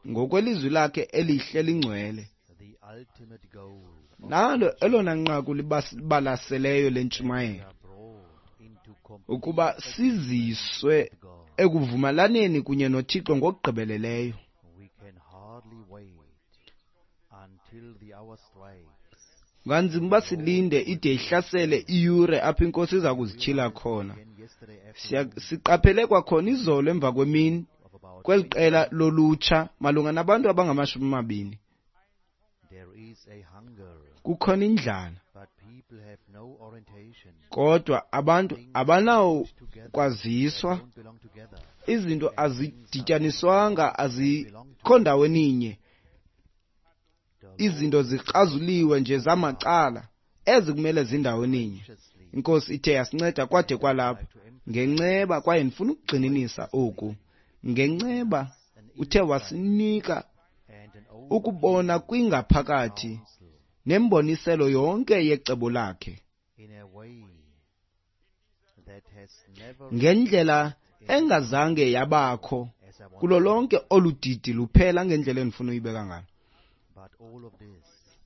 ngokwelizwi lakhe elihle lingcwele. Nalo elona nqaku libalaseleyo lentshumayelo, ukuba siziswe ekuvumelaneni kunye noThixo ngokugqibeleleyo. Kunganzima uba silinde ide ihlasele iyure apho iNkosi iza kuzityhila khona. Siqaphele kwakhona izolo emva kwemini kweli qela lolutsha malunga nabantu abangama-20. Kukhona indlala, kodwa abantu abanawo kwaziswa. Izinto azidityaniswanga, azikho ndaweninye. Izinto zikrazuliwe nje zamacala, ezi kumele zindaweninye. Inkosi ithe yasinceda kwade kwalapho ngenceba, kwaye ndifuna ukugxininisa oku. Ngenceba uthe wasinika ukubona kwingaphakathi nemboniselo yonke yecebo lakhe ngendlela engazange yabakho kulo lonke olu didi luphela, ngendlela endifuna uyibeka ngalo.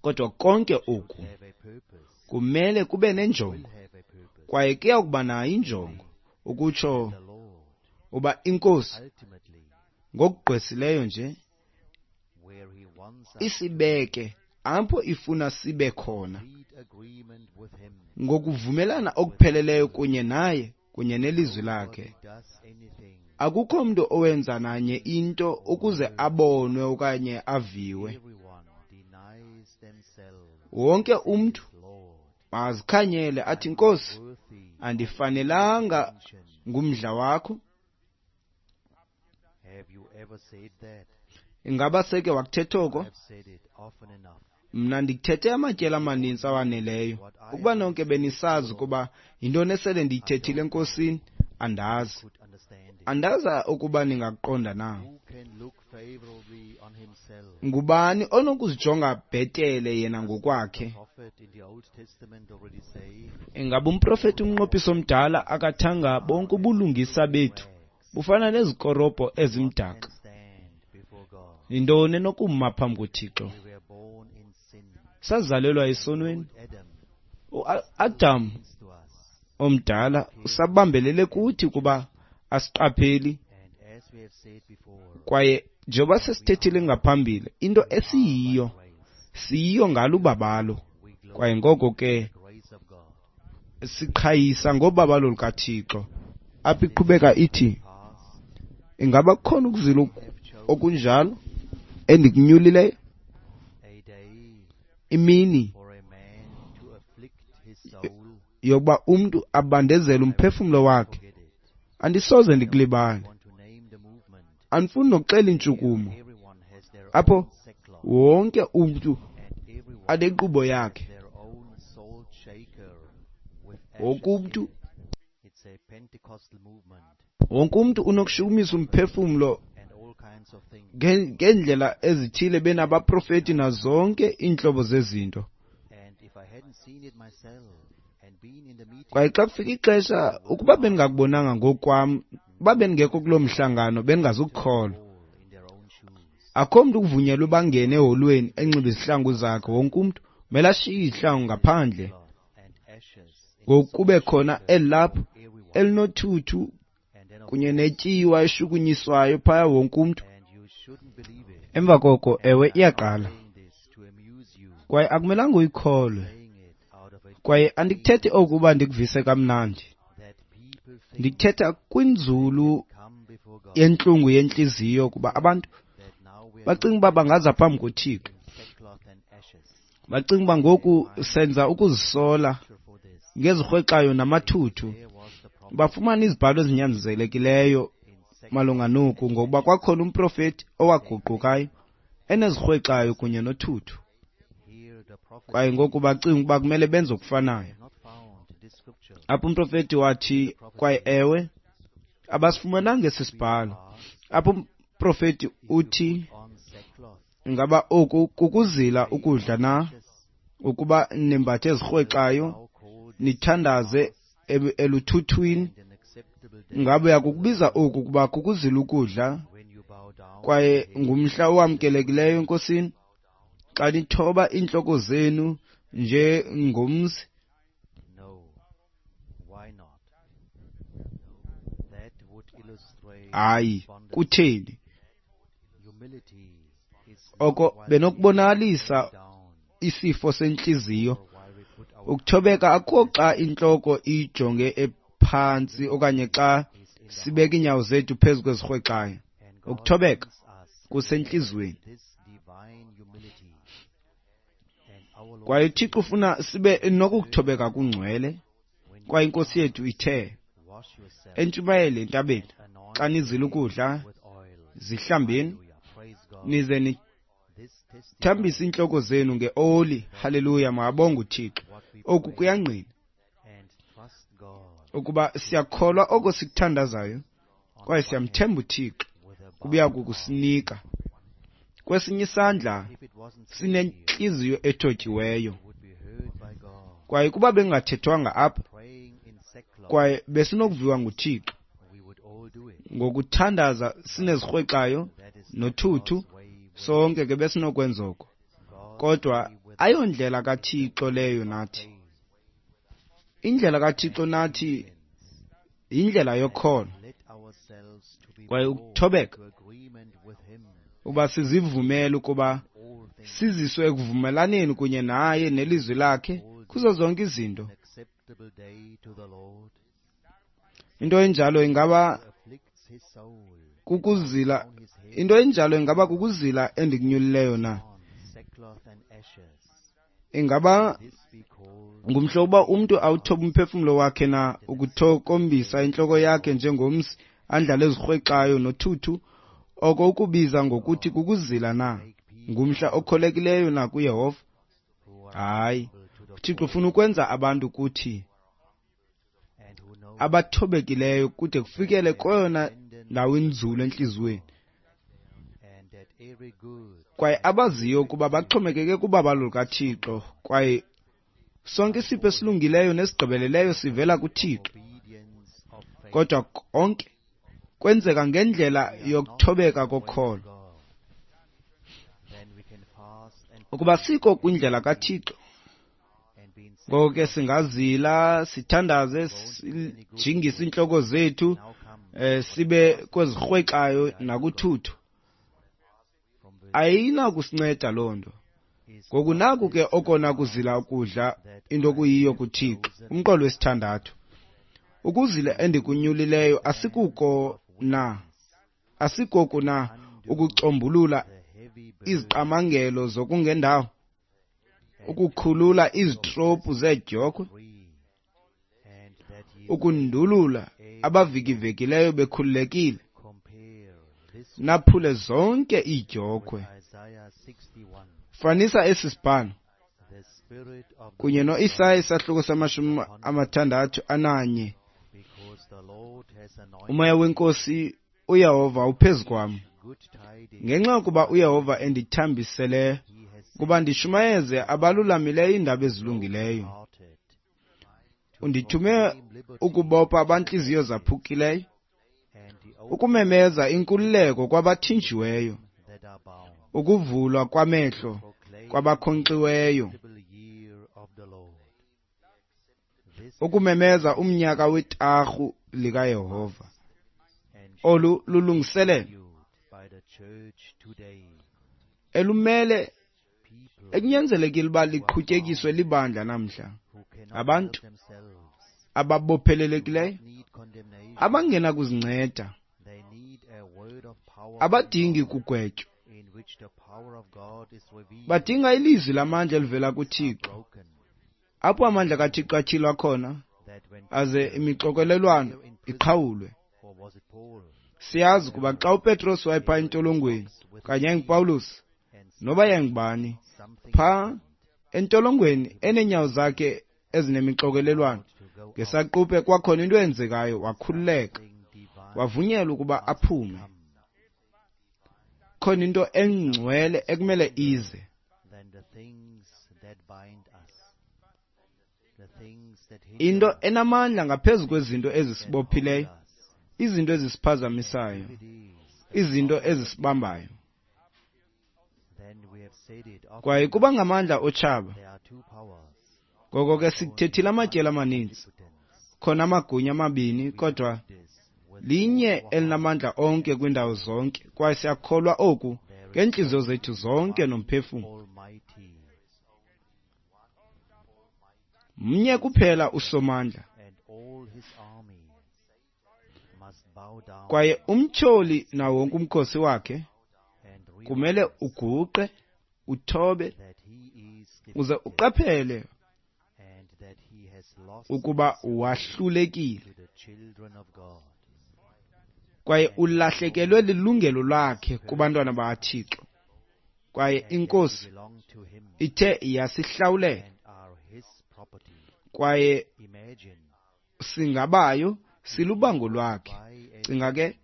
Kodwa konke oku kumele kube nenjongo, kwaye kuya kuba nayo injongo, ukutsho uba iNkosi ngokugqwesileyo nje isibeke apho ifuna sibe khona ngokuvumelana okupheleleyo kunye naye kunye nelizwi lakhe. Akukho mntu owenza nanye into ukuze abonwe okanye aviwe. Wonke umntu Mazikhanyele athi, Nkosi, andifanelanga ngumdla wakho. Ingaba seke wakuthetha oko? Mna ndikuthethe amatyeli amaninzi awaneleyo. Ukuba nonke benisazi ukuba yintoni esele ndiyithethile eNkosini, andazi. Andazi ukuba ningakuqonda na. Ngubani onokuzijonga bhetele yena ngokwakhe? Ingaba umprofeti umnqophiso omdala akathanga bonke ubulungisa bethu bufana nezikorobho ezimdaka? Yintoni enokuma phambi koThixo? Sazalelwa esonweni. UAdam omdala usabambelele kuthi kuba asiqapheli. Kwaye njengoba sesithethile ngaphambili, into esiyiyo siyiyo ngalo ubabalo. Kwaye ngoko ke siqhayisa ngobabalo lukaThixo. Apha iqhubeka ithi, ingaba kukhona ukuzila okunjalo endikunyulileyo? Imini yokuba umntu abandezele umphefumlo wakhe, andisoze ndikulibale. Andifuni nokuxela intshukumo apho wonke umntu anenkqubo yakhe. Wonke umntu unokushukumisa umphefumlo ngeendlela ezithile, benabaprofeti nazonke iintlobo zezinto. Kwaye xa kufika ixesha, ukuba bendingakubonanga ngokwam, uba bendingekho kuloo mhlangano, bendingazukukholwa. Akho mntu kuvunyelwe bangene eholweni enxibe izihlangu zakhe. Wonke umntu kumele ashiye izihlangu ngaphandle. Ngoku kube khona elilapho elinothuthu kunye netyiwa eshukunyiswayo phaya wonke umntu. Emva koko, ewe, iyaqala. Kwaye akumelanga uyikholwe. Kwaye andikuthethi oku uba ndikuvise kamnandi. Ndikuthetha kwinzulu yentlungu yentliziyo, kuba abantu bacinga uba bangaza phambi koThixo. Bacinga uba ngoku senza ukuzisola ngezirhwexayo namathuthu. Bafumana izibhalo ezinyanzelekileyo malunga noku, ngokuba kwakhona umprofeti owaguqukayo enezirhwexayo kunye nothuthu. Kwaye ngoku bacinga ukuba kumele benze okufanayo. Apho umprofeti wathi, kwaye ewe, abasifumananga esi sibhalo. Apho umprofeti uthi, ingaba oku kukuzila ukudla na? Ukuba nimbathe ezirhwexayo, nithandaze eluthuthwini, ngabe uyakukubiza oku kuba kukuzila ukudla, kwaye ngumhla owamkelekileyo eNkosini, xa nithoba iintloko zenu njengomzi? Hayi, kutheni? Oko benokubonakalisa isifo sentliziyo. Ukuthobeka akukho xa intloko ijonge ephantsi okanye xa sibeka iinyawo zethu phezu kwezirhwexayo. Ukuthobeka kusentliziyweni. Kwaye uThixo ufuna sibe nokukuthobeka kungcwele. Kwaye iNkosi yethu ithe entshumayele entabeni, xa nizila ukudla, zihlambeni, nize nithambise iintloko zenu ngeoli. Haleluya, makabonge uThixo. Oku kuyangqina ukuba siyakholwa oko sikuthandazayo, kwaye siyamthemba uThixo kubuya kukusinika. Kwesinye isandla sinentliziyo ethotyiweyo. Kwaye kuba bengathethwanga apha, kwaye besinokuviwa nguThixo ngokuthandaza sinezirhwexayo nothuthu, sonke ke besinokwenza oko. Kodwa ayondlela kaThixo leyo nathi. Indlela kaThixo nathi yindlela yokholo kwaye ukuthobeka, uba sizivumele ukuba siziswe ekuvumelaneni kunye naye nelizwi lakhe kuzo zonke izinto. Into enjalo ingaba kukuzila, into enjalo ingaba kukuzila endikunyulileyo na? Ingaba This we call ngumhla uba umntu awuthoba umphefumlo wakhe na ukuthokombisa intloko yakhe njengomsi andlale ezirhwexayo nothuthu, oko ukubiza ngokuthi kukuzila na? Ngumhla okholekileyo na kuYehova? who are Hayi, humble to the uThixo ufuna ukwenza abantu kuthi and who know abathobekileyo kude kufikele kweyona ndawo inzulu entliziyweni, and that every good kwaye abaziyo ukuba baxhomekeke kubabalo lukaThixo, kwaye sonke isipho esilungileyo nesigqibeleleyo sivela kuThixo. obedience of faith Kodwa konke kwenzeka ngendlela yokuthobeka kokholo. God. Then we can fast and Ukuba sikho kwindlela kaThixo, and be in ngoko ke singazila, sithandaze, sijingise iintloko zethu, now come sibe kwezirhwexayo nakuthuthu. from verse Ayinakusinceda loo nto. is Ngoku naku ke okona kuzila ukudla into kuyiyo kuThixo. Umqolo wesithandathu. Ukuzila endikunyulileyo asikuko na, asikoku na ukucombulula the heavy burden iziqamangelo zokungendawo, ukukhulula izitrophu zeedyokhwe, free, and that ye ukundulula abavikivekileyo bekhululekile, compare this naphule zonke iidyokhwe. with Isaiah 61, Fanisa esi sibhalo the spirit of the kunye Lord noIsaya isahluko sama-61. because the Lord has anointed Umoya wenkosi uYehova uphezu kwam, good tidings. ngenxa yokuba uYehova endithambisele He has ukuba ndishumayeze abalulamileyo iindaba ezilungileyo. hearted Undithume ukubopha abantliziyo zaphukileyo, and the ukumemeza inkululeko kwabathinjiweyo, that are bound, ukuvulwa kwamehlo proclaim kwabakhonkxiweyo, the year of the Lord. This ukumemeza umnyaka wetarhu likaYehova. and Olu lulungiselelo viewed by the church today. elumele People ekunyanzelekile uba liqhutyekiswe libandla namhla, who cannot Abantu help themselves ababophelelekileyo, need condemnation. abangenakuzinceda, They need a word of power from abadingi God, kugwetywa, in which the power of God is revealed. badinga ilizwi lamandla elivela kuThixo, Broken, apho amandla kaThixo atyhilwa khona that when aze imixokelelwano iqhawulwe. or was it Paul Siyazi ukuba xa uPetros wayephaa entolongweni kanye yayinguPawulos and noba yayingubani, something phaa entolongweni eneenyawo zakhe ezinemixokelelwano, to go ngesaquphe kwakhona into eyenzekayo, wakhululeka, thing divine wavunyelwa ukuba aphume. Khona into engcwele ekumele ize, than the things that bind us, the things that hinder into enamandla ngaphezu kwezinto ezisibophileyo, us. izinto ezisiphazamisayo, It is. izinto ezisibambayo. Then we have said it often. Kwaye kuba ngamandla otshaba. There are two powers, Ngoko ke sikuthethile amatyeli amaninzi, omnipotence. khona amagunya amabini, kodwa This with linye elinamandla onke kwiindawo zonke, kwaye siyakholwa oku ngeentliziyo zethu zonke nomphefumlo. Almighty Mnye kuphela uSomandla, and all his armies must bow down kwaye umtyholi nawo wonke umkhosi wakhe and realize kumele uguqe, uthobe, that he is uze defeated uqaphele and that he has lost ukuba wahlulekile to the children of God. kwaye ulahlekelwe lilungelo lakhe kubantwana bakaThixo. Kwaye inkosi Belong to him ithe yasihlawulela and are his property. kwaye Imagine singabayo, silubango lwakhe. buy a Cinga ke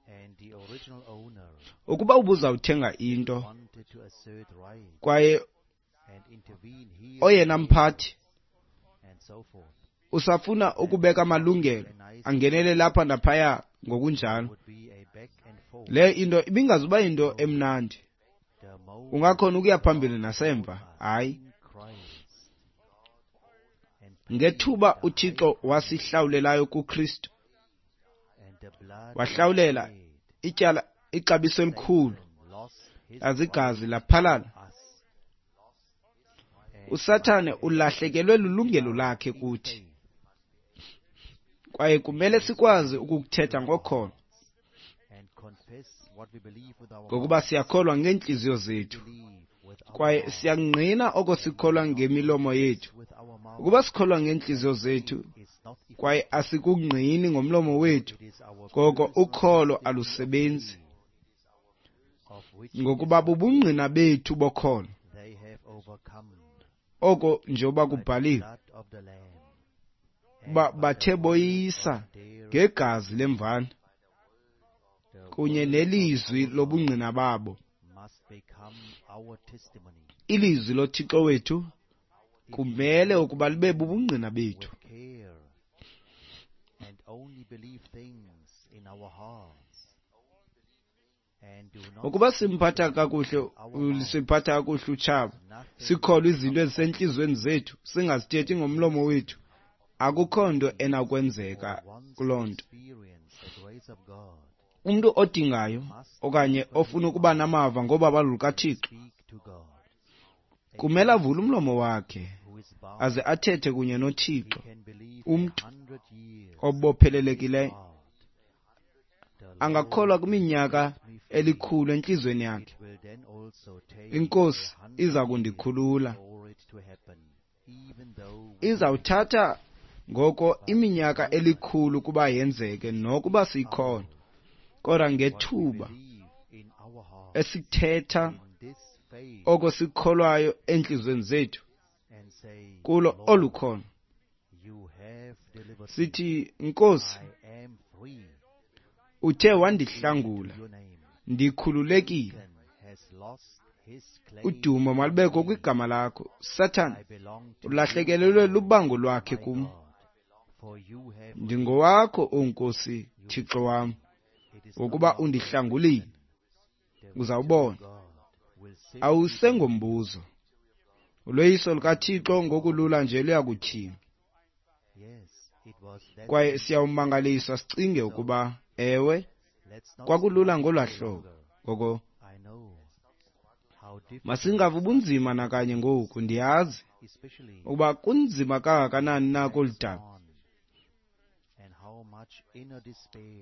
and the original owner ukuba ubuzawuthenga into wanted to assert right kwaye and intervene here oyena mphathi and so forth usafuna ukubeka amalungelo angenele lapha naphaya ngokunjalo, would be a back and forth. le into ibingazuba yinto emnandi. The moment Ungakhona ukuya phambili nasemva. Hayi, in Christ and ngethuba uThixo wasihlawulelayo kuKristu, and the blood wahlawulela ityala ixabiso elikhulu, lost his azigazi laphalala. us uSathane ulahlekelwe lilungelo lakhe kuthi, kwaye kumele sikwazi ukukuthetha ngokholo, and confess what we believe with our ngokuba siyakholwa ngeentliziyo zethu believe with Kwaye siyangqina oko sikholwa ngemilomo yethu. Ukuba sikholwa ngeentliziyo zethu kwaye asikungqini ngomlomo wethu, ngoko ukholo alusebenzi, ngokuba bubungqina bethu bokholo. Oko njengoba kubhaliwe, uba bathe boyisa ngegazi lemvana kunye nelizwi lobungqina babo. Ilizwi loThixo wethu kumele ukuba libe bubungqina bethu. Ukuba simphatha kakuhle, siphatha kakuhle utshaba, sikholwa izinto ezisentliziyweni zethu, singazithethi ngomlomo wethu, akukho nto enakwenzeka kuloo nto. Umntu odingayo okanye ofuna ukuba namava ngobabalo lukaThixo kumele avule umlomo wakhe aze athethe kunye noThixo. Umntu obophelelekileyo angakholwa kwiminyaka elikhulu entliziyweni yakhe, iNkosi iza kundikhulula. Izawuthatha ngoko iminyaka elikhulu ukuba yenzeke nokuba siyikhona, kodwa ngethuba esithetha oko sikholwayo entliziyweni zethu kulo olu kholo, sithi, Nkosi, uthe wandihlangula, ndikhululekile. Udumo malubekho kwigama lakho. Sathana ulahlekelelwe lubango lwakhe kum. Ndingowakho, O Nkosi Thixo wam, ngokuba undihlangulile. Uzawubona, awusengombuzo. Uloyiso lukaThixo ngokulula nje luyakutyhila. Kwaye siyawumangaliswa sicinge ukuba, ewe, kwakulula ngolwaa hlobo. Ngoko masingavi ubunzima nakanye ngoku. Ndiyazi ukuba kunzima kangakanani na kolu daba,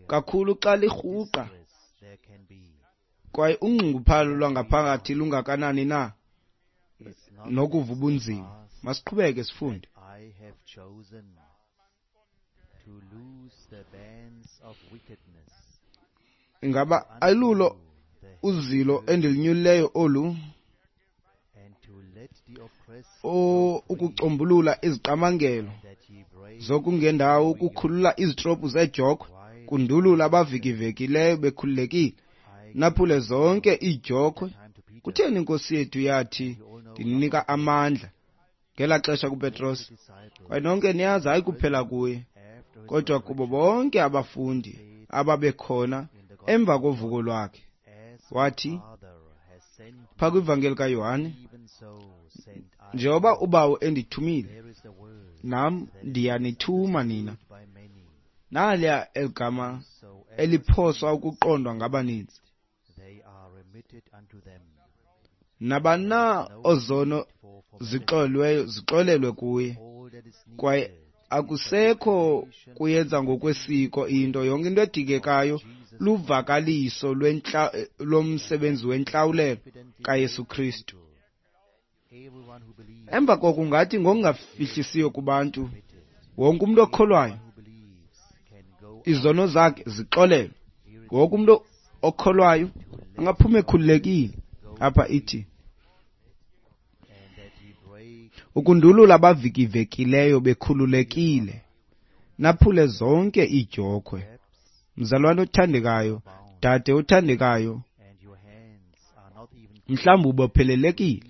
kakhulu xa lirhuqa, kwaye unxunguphalo lwangaphakathi lungakanani na nokuva ubunzima. Masiqhubeke sifunde. Ingaba ayilulo uzilo endilinyulileyo olu, ukucombulula iziqamangelo zokungendawo, ukukhulula izitrophu zeedyokhwe, kundulula abavikivekileyo bekhululekile, naphule zonke iidyokhwe? Kutheni iNkosi yethu yathi, ndininika amandla ngelaa xesha kuPetros? Kwaye nonke niyazi, hayi kuphela kuye, kodwa kubo bonke abafundi ababekhona emva kovuko lwakhe. Wathi phaa kwivangeli kaYohane, njengoba uBawo endithumile, nam ndiyanithuma nina. Naliya eligama eliphoswa ukuqondwa ngabaninzi. Nabani na ozono zixolelweyo zixolelwe kuye, kwaye akusekho kuyenza ngokwesiko into. Yonke into edingekayo luvakaliso lomsebenzi wentlawulelo kaYesu Kristu. Emva koko ungathi ngokungafihlisiyo kubantu, wonke umntu okholwayo izono zakhe zixolelwe. Wonke umntu okholwayo angaphuma ekhululekile. Apha ithi, ukundulula abavikivekileyo bekhululekile, naphule zonke iidyokhwe. Mzalwane othandekayo, dade othandekayo, mhlawumbi ubophelelekile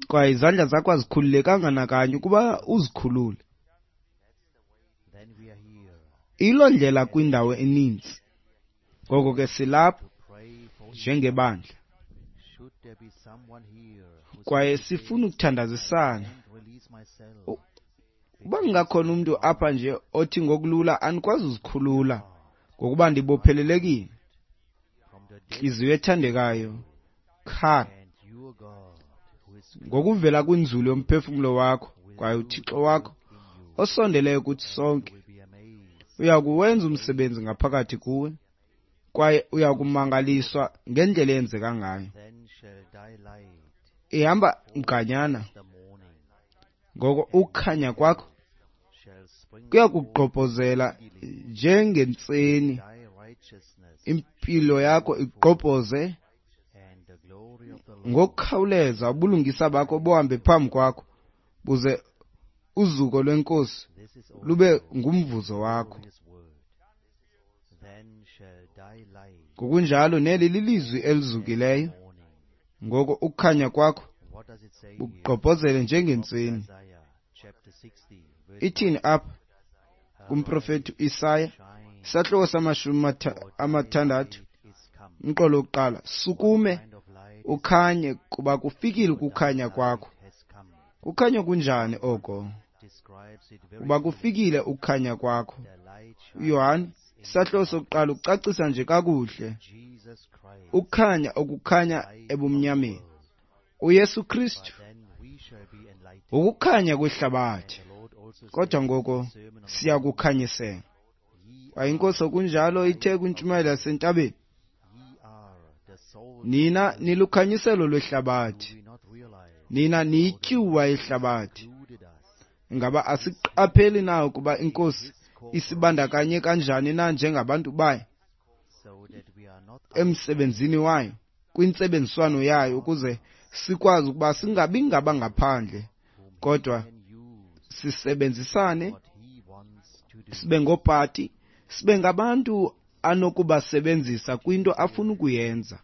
kwaye izandla zakho azikhululekanga nakanye ukuba uzikhulule. Ilo ndlela kwindawo eninzi. Ngoko ke silapha njengebandla kwaye sifuna ukuthandazisana. Uba kungakhona umntu apha nje othi ngokulula andikwazi uzikhulula ngokuba ndibophelelekile, ntliziyo ethandekayo, khala ngokuvela kwinzulu yomphefumlo wakho, kwaye uThixo wakho osondeleyo kuthi sonke uya kuwenza umsebenzi ngaphakathi kuwe, Kwaye uyakumangaliswa ngendlela eyenzeka ngayo. Ihamba mganyana. Ngoko ukukhanya kwakho kuyakugqobhozela njengentseni, impilo yakho igqobhoze ngokukhawuleza, ubulungisa bakho buhambe phambi kwakho, buze uzuko lweNkosi lube ngumvuzo wakho. Ngokunjalo neli lilizwi elizukileyo. Ngoko ukukhanya kwakho bugqobhozele njengentseni. Ithini apha kumprofeti uIsaya, isahluko sama-60, umqolo wokuqala: sukume ukhanye, kuba kufikile ukukhanya kwakho. Kukhanya kunjani oko? Kuba kufikile ukukhanya kwakho. UYohane isahluko sokuqala ucacisa nje kakuhle ukukhanya okukhanya ebumnyameni. uYesu Kristu ukukhanya kwehlabathi, kodwa ngoko siyakukhanyisela. Kwaye iNkosi okunjalo ithe kwintshumayelo yasentabeni, nina nilukhanyiselo lwehlabathi, nina niyityuwa yehlabathi. Ingaba asiqapheli na ukuba iNkosi isibandakanye kanjani na njengabantu bayo emsebenzini wayo, kwintsebenziswano yayo, ukuze sikwazi ukuba singabi ngabangaphandle, kodwa sisebenzisane, sibe ngoopati, sibe ngabantu anokubasebenzisa kwinto afuna ukuyenza.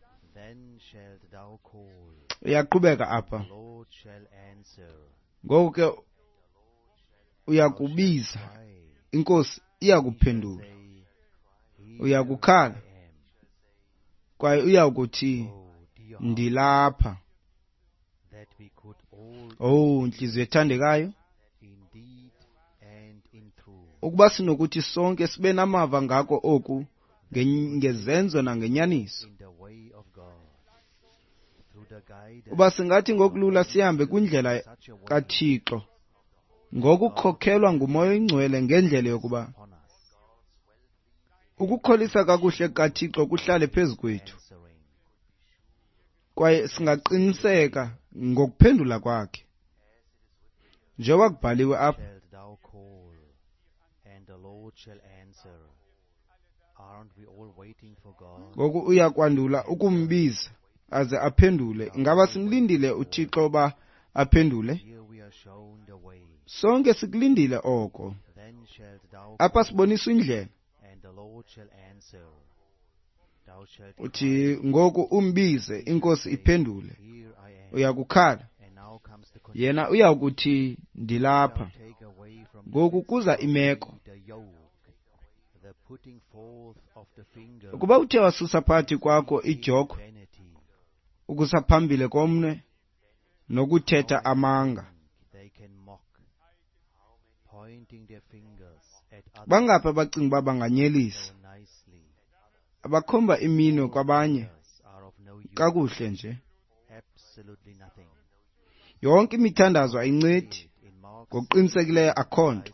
Uyaqhubeka apha. Ngoko ke uyakubiza, iNkosi iyakuphendula. Uyakukhala, kwaye uyakuthi, ndilapha. Oh, ntliziyo ethandekayo, ukuba sinokuthi sonke sibe namava ngako oku ngezenzo nangenyaniso. Uba singathi ngokulula sihambe kwindlela kaThixo ngokukhokhelwa nguMoya oyiNgcwele, ngendlela yokuba ukukholisa kakuhle kaThixo kuhlale phezu kwethu, kwaye singaqiniseka ngokuphendula kwakhe njengoba kubhaliwe apha. Ngoku uyakwandula ukumbiza aze aphendule. Ingaba simlindile uThixo uba aphendule? Sonke sikulindile oko. Apha siboniswa indlela. Uthi ngoku umbize, iNkosi iphendule. Uyakukhala, yena uyakuthi ndilapha. Ngoku kuza imeko. Ukuba uthe wasusa phakathi kwakho idyokhwe, ukusa phambili komnwe nokuthetha amanga. Bangaphi abacinga uba banganyelisa, abakhomba iminwe kwabanye kakuhle nje? Yonke imithandazo ayincedi, ngokuqinisekileyo akho nto.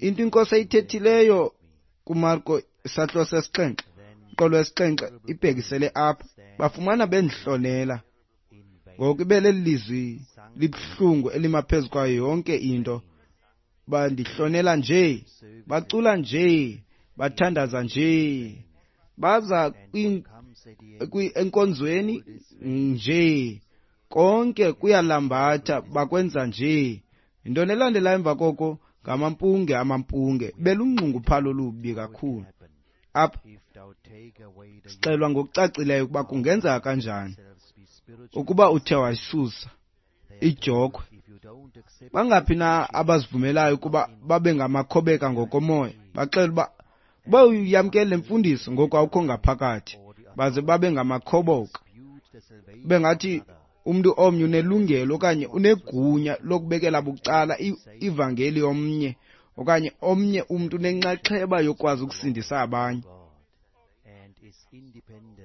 Into iNkosi ayithethileyo kuMarko isahluko sesixhenxe, umqolo wesixhenxe, ibhekisele apha. Bafumana bendihlonela. Ngoku ibe leli lizwi libuhlungu elima phezu kwayo yonke into. Bandihlonela nje, bacula nje, bathandaza nje, baza enkonzweni nje, konke kuyalambatha, bakwenza nje. Intoni elandela emva koko? Ngamampunge, amampunge, belunxunguphalo olubi kakhulu. Apha sixelwa ngokucacileyo ukuba kungenzeka kanjani ukuba uthe wayisusa idyokhwe. Bangaphi na abazivumelayo ukuba babe ngamakhobeka ngokomoya? Baxela uba uba uyamkele le mfundiso ngoku awukho ngaphakathi, baze babe ngamakhoboka. Bengathi umntu omnye unelungelo okanye unegunya lokubekela bucala ivangeli yomnye, okanye omnye umntu unenxaxheba yokwazi ukusindisa abanye.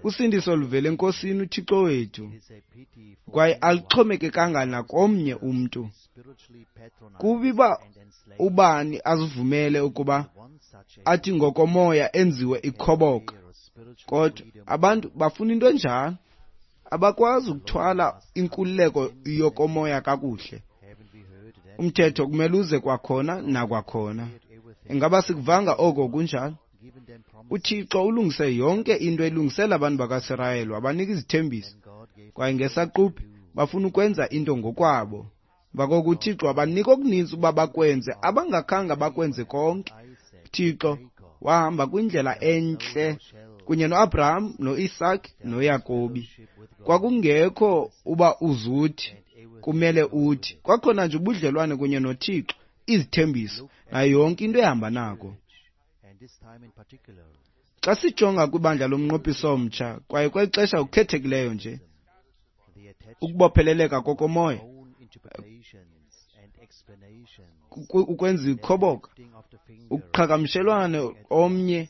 Usindiso luvela eNkosini uThixo wethu, kwaye aluxhomekekanga nakomnye umntu. Kubi uba ubani azivumele ukuba athi ngokomoya enziwe ikhoboka, kodwa abantu bafuna into enjalo. Abakwazi ukuthwala inkululeko yokomoya kakuhle. Umthetho kumele uze kwakhona nakwakhona. Ingaba sikuvanga oko kunjalo? UThixo ulungise yonke into elungisela abantu bakaSirayeli, wabanika izithembiso, kwaye ngesaquphe bafuna ukwenza into ngokwabo. Emva koko uThixo wabanika okuninzi uba bakwenze abangakhange bakwenze konke. UThixo wahamba kwindlela entle kunye noAbraham, noIsake, noYakobi. Kwakungekho uba uzuthi kumele uthi, kwakhona nje ubudlelwane kunye noThixo, izithembiso nayo yonke into ehamba nako. Xa sijonga kwibandla lomnqophiso omtsha, kwaye kweli xesha kukhethekileyo nje, ukubopheleleka kokomoya, ukwenza ikhoboka, ukuqhagamshelwana omnye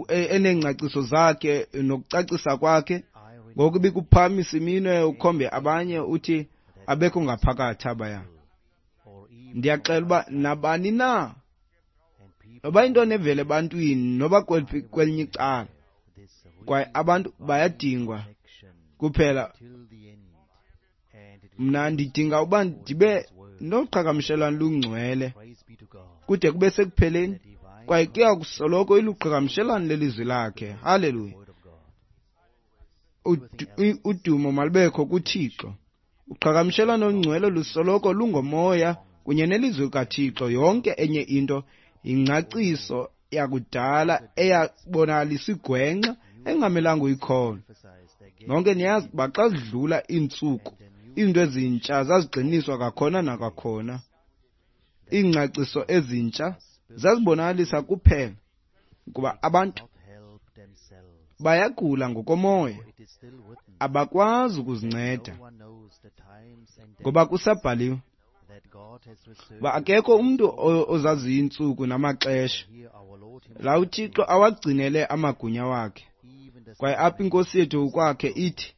eneengcaciso zakhe nokucacisa kwakhe, ngoku ibikuphakamisa iminwe ukhombe abanye uthi abekho ngaphakathi abaya. Ndiyaxela uba nabani na, noba into nevele ebantwini noba kwelinye icala, kwaye abantu bayadingwa kuphela. Mna ndidinga uba ndibe noqhagamshelwano lungcwele kude kube sekupheleni, kwaye kuya kusoloko iluqhagamshelwano lelizwi lakhe. Haleluya! Udumo malubekho kuThixo. Uqhagamshelwano olungcwele lusoloko lungomoya kunye nelizwi likaThixo. Yonke enye into yingcaciso yakudala eyabonakalisa igwenxa engamelanga uyikholwe. Nonke niyazi uba xa zidlula iintsuku, izinto ezintsha zazigxiniswa kwakhona nakwakhona. Iingcaciso ezintsha zazibonakalisa kuphela ukuba abantu bayagula ngokomoya, abakwazi ukuzinceda, ngoba kusabhaliwe uba akekho umntu ozaziyo iintsuku namaxesha la uThixo awagcinele amagunya wakhe. Kwaye apha iNkosi yethu kwakhe ithi,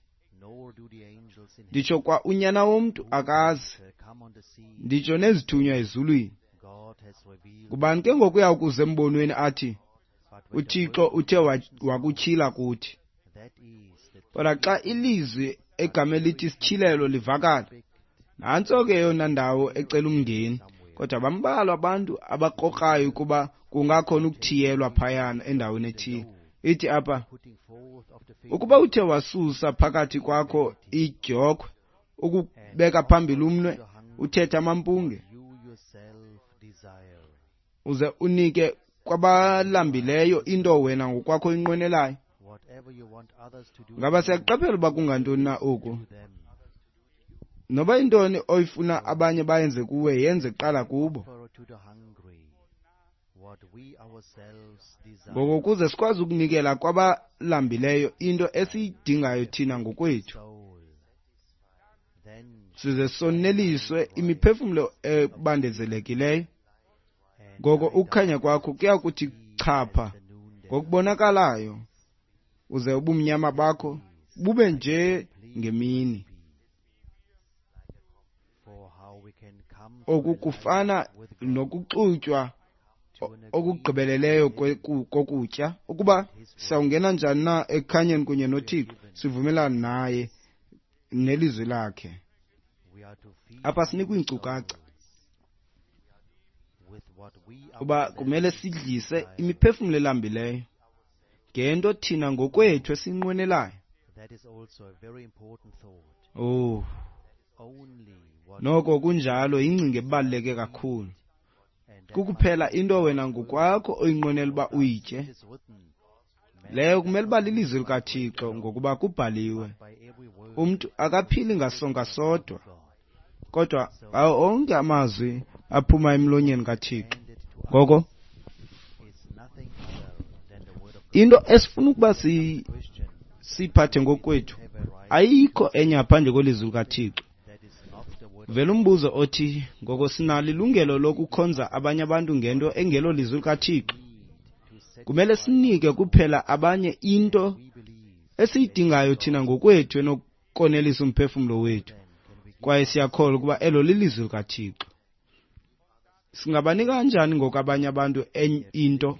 nditsho kwa unyana womntu akazi, nditsho nezithunywa ezulwini. Ngubani ke ngoku uya kuza embonweni athi uThixo uthe wakutyhila kuthi? Kodwa xa ilizwi egama elithi isityhilelo livakala, nantso ke eyona ndawo ecela umngeni. Kodwa bambalwa abantu abakrokrayo ukuba kungakhona ukuthiyelwa phayana endaweni ethile. Ithi apha, ukuba uthe wasusa phakathi kwakho idyokhwe, ukubeka phambili umnwe, uthethe amampunge, uze unike kwabalambileyo into wena ngokwakho oyinqwenelayo. Ngaba siyaqaphela uba kungantoni na oku? Noba intoni oyifuna abanye bayenze kuwe, yenze kuqala kubo. Ngoko ukuze sikwazi ukunikela kwabalambileyo into esiyidingayo thina ngokwethu, size soneliswe imiphefumlo ebandezelekileyo. Ngoko ukukhanya kwakho kuya kuthi chapha ngokubonakalayo, uze ubumnyama bakho bube nje ngemini. Oku kufana nokuxutywa okugqibeleleyo kokutya. Ukuba sawungena njani na ekukhanyeni kunye noThixo, sivumelane naye nelizwi lakhe. Apha sinikwa iinkcukacha uba kumele sidlise imiphefumlo elambileyo ngento thina ngokwethu esiyinqwenelayo. Oh, noko kunjalo, yingcinga ebaluleke kakhulu. Kukuphela into wena ngokwakho oyinqwenela uba uyitye. Leyo kumele uba lilizwi likaThixo, ngokuba kubhaliwe, umntu akaphili ngasonka sodwa, kodwa ngawo onke amazwi aphuma emlonyeni kaThixo. Ngoko into esifuna ukuba siyiphathe ngokwethu ayikho enye ngaphandle kwelizwi likaThixo. Vela umbuzo othi, ngoko sinalo ilungelo lokukhonza abanye abantu ngento engelo lizwi likaThixo? Kumele sinike kuphela abanye into esiyidingayo thina ngokwethu enokonelisa umphefumlo wethu, kwaye siyakholwa ukuba elo lilizwi likaThixo. Singabanika kanjani ngoku abanye abantu into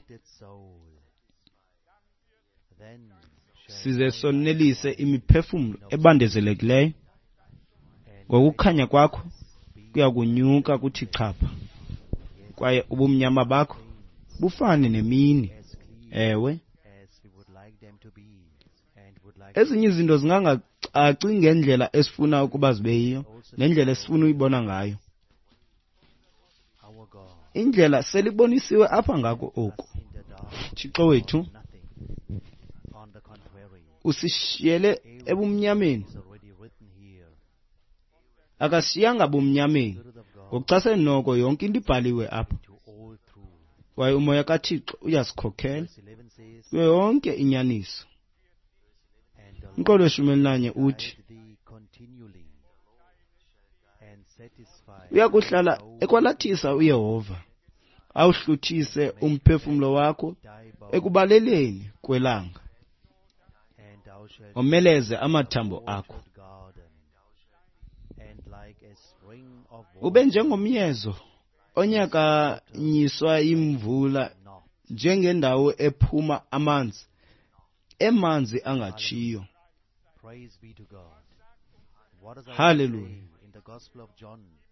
size sonelise imiphefumlo ebandezelekileyo? Ngokukhanya kwakho kuya kunyuka kuthi chapha, kwaye ubumnyama bakho bufane nemini. Ewe, ezinye izinto zingangacaci ngendlela esifuna ukuba zibe yiyo nendlela esifuna uyibona ngayo. Indlela selibonisiwe apha ngako oku. Thixo wethu usishiyele ebumnyameni, akasishiyanga bumnyameni. Ngokuchasene noko yonke into ibhaliwe apha, kwaye umoya kaThixo uyasikhokhela kuyo yonke inyaniso. Umqolo weshumi elinanye uthi uyakuhlala ekwalathisa uYehova, awuhluthise umphefumlo wakho ekubaleleni kwelanga, omeleze amathambo akho. Ube njengomyezo onyakanyiswa yimvula, njengendawo ephuma amanzi emanzi angatshiyo. Haleluya!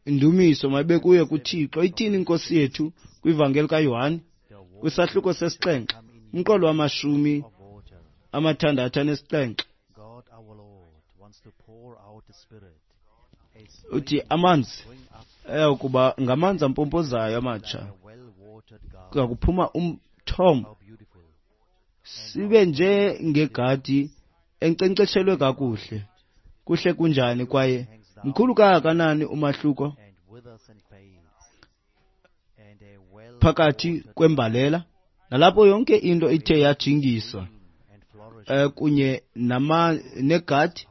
Indumiso mayibe kuye kuThixo. Ithini inkosi yethu kwivangeli kaYohane kwisahluko sesixhenxe umqolo wamashumi amathandathu anesixhenxe? Uthi amanzi ayakuba ngamanzi ampompozayo amatsha, kuya kuphuma umthombo, sibe njengegadi enkcenkceshelwe kakuhle. Kuhle kunjani, kwaye mkhulu kangakanani umahluko phakathi kwembalela nalapho yonke into ithe yajingiswa kunye negadi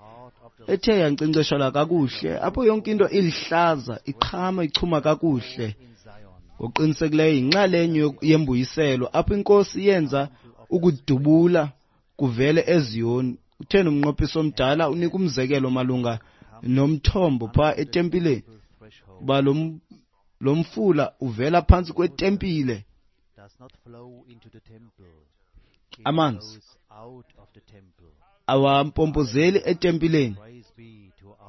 ethe yankcenkceshelwa kakuhle, apho yonke into ilihlaza, iqhama, ichuma kakuhle. Ngokuqinisekileyo yinxalenye yembuyiselo apho inkosi yenza ukudubula kuvele eZiyoni. Utheni umnqophiso omdala unika umzekelo malunga nomthombo phaa etempileni, uba lo mfula uvela phantsi kwetempile. Amanzi awampompozeli etempileni,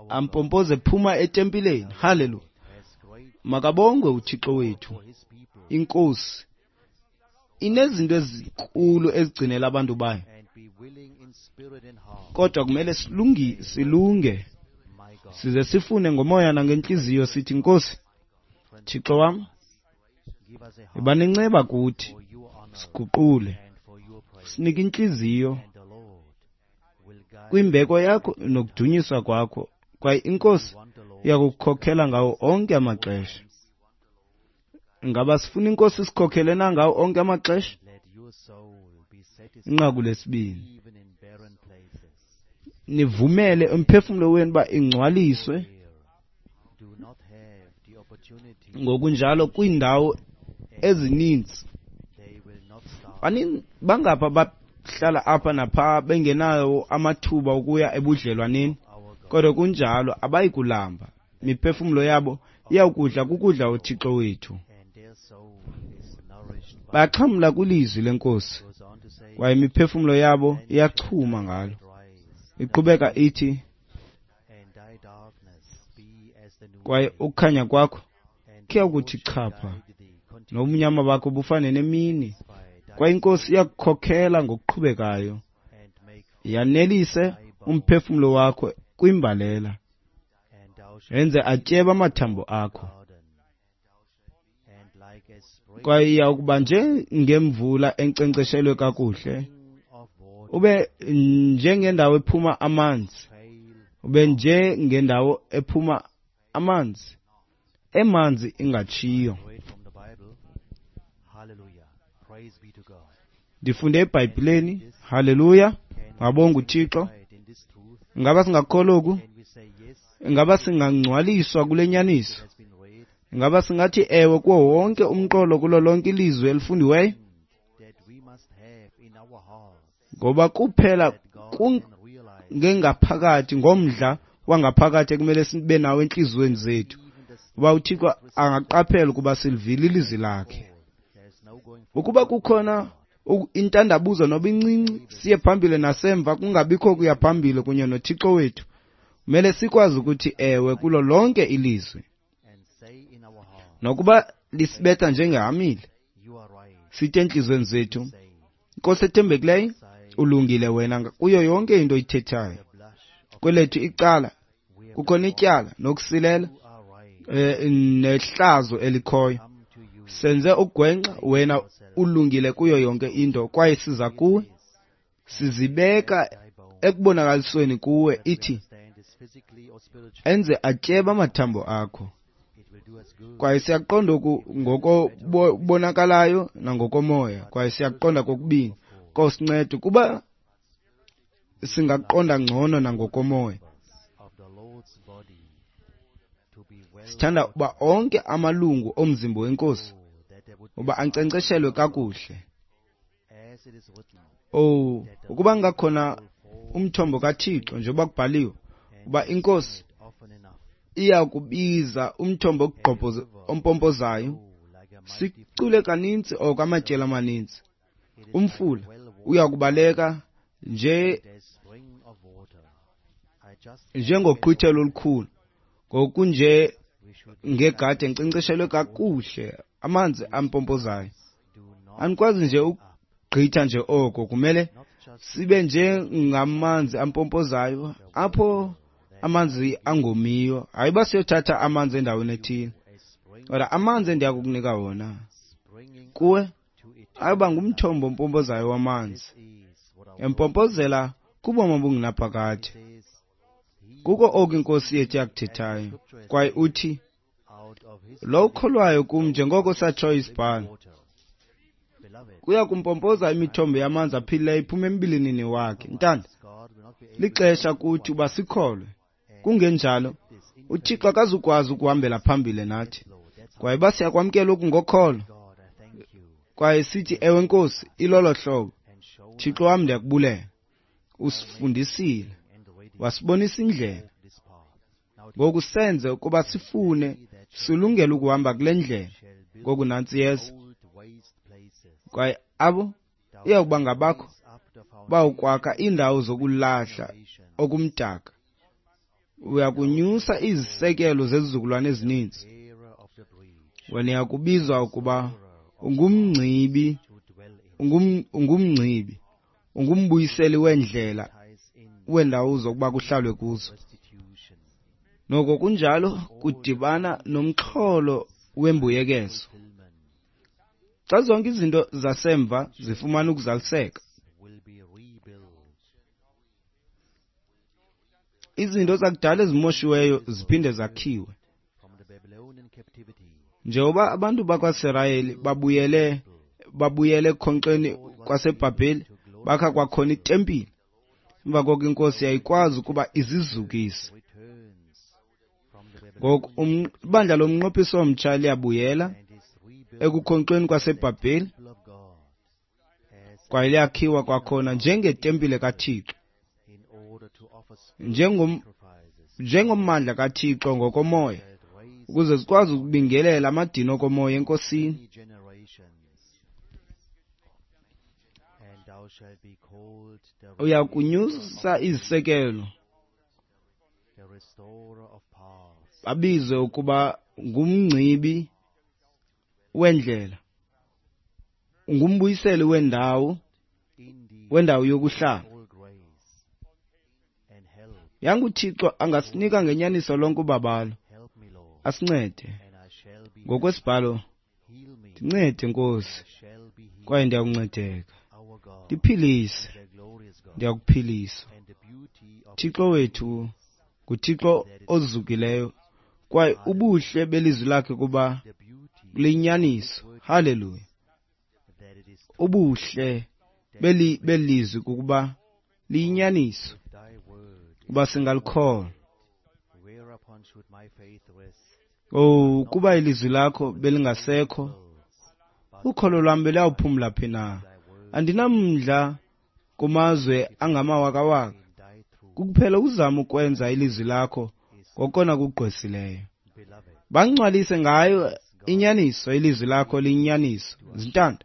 ampompoze phuma etempileni. Haleluya! Makabongwe uThixo wethu. Inkosi inezinto ezinkulu ezigcinela abantu bayo, kodwa kumele silunge size sifune ngomoya nangentliziyo, sithi, Nkosi Thixo wam, yiba nenceba kuthi, siguqule, sinike intliziyo kwimbeko yakho nokudunyiswa kwakho, kwaye inkosi iyakukhokhela ngawo onke amaxesha. Ngaba sifuna inkosi sikhokhele na ngawo onke amaxesha? Inqaku lesibini, nivumele umphefumlo wenu uba ingcwaliswe ngokunjalo kwiindawo ezininzi. Bangapha bahlala apha napha bengenawo amathuba okuya ebudlelwaneni, kodwa kunjalo abayi kulamba. Imiphefumlo yabo iyawukudla kukudla uThixo wethu. Bayaxhamla kwilizwi lenkosi, kwaye imiphefumlo yabo iyachuma ngalo. Iqhubeka ithi, kwaye ukukhanya kwakho kuyakuthi chapha, nobumnyama bakho bufane nemini, kwaye inkosi iyakukhokhela ngokuqhubekayo, yanelise umphefumlo wakho kwimbalela, yenze atyebe amathambo akho. Kwaye iyakuba njengemvula enkcenkceshelwe kakuhle, ube njengendawo ephuma amanzi, ube njengendawo ephuma amanzi emanzi ingatshiyo. Ndifunde eBhayibhileni. Haleluya! Mabonge uThixo. Ingaba singakholwa oku? Ingaba singangcwaliswa kule nyaniso? Ingaba singathi ewe kuwo wonke umqolo kulo lonke ilizwi elifundiweyo? Ngoba kuphela ngengaphakathi, ngomdla wangaphakathi ekumele sibe nawo entliziyweni zethu, uba uThixo angaqaphela ukuba silivile ilizwi lakhe. Ukuba kukhona intandabuzo noba incinci, siye phambili nasemva, kungabikho kuya phambili kunye noThixo wethu. Kumele sikwazi ukuthi ewe kulo lonke ilizwi, nokuba lisibetha njengehamile, sithi entliziyweni zethu, Nkosi ethembekileyo, ulungile wena kuyo yonke into oyithethayo. Kwelethu icala kukhona ityala nokusilela nehlazo elikhoyo. Senze ugwenxa, wena ulungile kuyo yonke into, kwaye siza kuwe, sizibeka ekubonakalisweni kuwe, ithi enze atyebe amathambo akho. Kwaye siyaqonda oku ngokobonakalayo nangokomoya, kwaye siyaqonda kokubini. Nkosi, nceda ukuba singaqonda ngcono nangokomoya. Sithanda uba onke amalungu omzimba weNkosi uba ankcenkceshelwe kakuhle. Oh, ukuba ngakhona umthombo kaThixo, njengoba kubhaliwe, uba iNkosi iya kubiza umthombo ompompozayo. Sicule kaninzi oko amatyeli amaninzi. Umfula uya kubaleka nje njengoqhwithelo olukhulu, ngokunje ngegadi enkcenkceshelwe kakuhle, amanzi ampompozayo. Anikwazi nje ukugqitha nje oko, kumele sibe njengamanzi ampompozayo apho amanzi angomiyo. Hayi uba siyothatha amanzi endaweni ethile, kodwa amanzi endiya kukunika wona kuwe ayoba ngumthombo ompompozayo wamanzi, empompozela kubomi obungunaphakade. Kuko oku iNkosi yethu yakuthethayo, kwaye uthi, lo ukholwayo kum, njengoko satshoyo isibhalo, kuya kumpompoza imithombo yamanzi aphilileyo iphume embilinini wakhe. Ntanda, lixesha kuthi uba sikholwe. Kungenjalo, uThixo akazukwazi ukuhambela phambili nathi. Kwaye uba siyakwamkela oku ngokholo, kwaye sithi, ewe Nkosi, ilolo hlobo. Thixo wam, ndiyakubulela. Usifundisile, wasibonisa indlela. Ngoku senze ukuba sifune, silungele ukuhamba kule ndlela. Ngoku nantsi yeza. Kwaye abo iyawuba ngabakho bawukwakha iindawo zokulahla okumdaka. Uyakunyusa izisekelo zezizukulwane ezininzi. Wena uyakubizwa ukuba ungumngcibi, ungumngcibi, ungumbuyiseli wendlela, wendawo zokuba kuhlalwe kuzo. Noko kunjalo kudibana nomxholo wembuyekezo. Xa zonke izinto zasemva zifumana ukuzaliseka, izinto zakudala ezimoshiweyo ziphinde zakhiwe. Njengoba abantu bakwaSirayeli babuyele ekhonkxeni kwaseBhabheli, bakha kwakhona itempile. Emva koko iNkosi yayikwazi ukuba izizukise. Ngoku ibandla lomnqophiso omtsha liyabuyela ekukhonkxweni kwaseBhabheli, kwaye liyakhiwa kwakhona njengetempile kaThixo, njengommandla kaThixo ngokomoya, ukuze sikwazi ukubingelela amadini okomoya eNkosini. Uyakunyusa izisekelo, babizwe ukuba ngumngcibi wendlela, ungumbuyiseli wendawo yokuhlala. YanguThixo angasinika ngenyaniso lonke ubabalo, asincede ngokwesibhalo. Ndincede Nkosi, kwaye ndiyakuncedeka. Ndiphilise, ndiyakuphilisa. Thixo wethu nguThixo ozukileyo, kwaye ubuhle belizwi lakhe kuba liyinyaniso. Haleluya! Ubuhle belizwi kukuba liyinyaniso, uba singalikholwa. Oh, kuba ilizwi lakho belingasekho, ukholo lwam beliyawuphumla phi na? Andinamdla kumazwe angamawakawaka, Kukuphela uzama ukwenza ilizwi lakho ngokona kugqwesileyo. Bangcwalise ngayo inyaniso, ilizwi lakho liyinyaniso. Zintanda,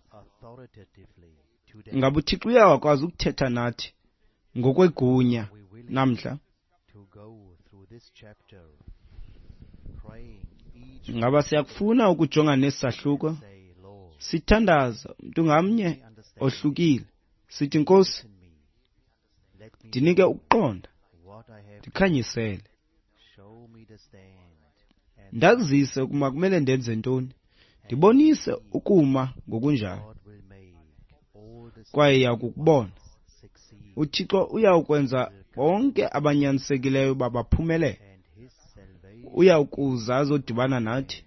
ngaba uThixo uyawakwazi ukuthetha nathi ngokwegunya namhla? Ngaba siyakufuna ukujongana nesi sahluko? Sithandaza mntu ngamnye ohlukile. Sithi, Nkosi, ndinike ukuqonda, ndikhanyisele, ndazise ukuba kumele ndenze ntoni, ndibonise ukuma ngokunjalo, kwaye yakukubona uThixo uyawukwenza bonke abanyanisekileyo babaphumelele. Uyawukuza azodibana nathi,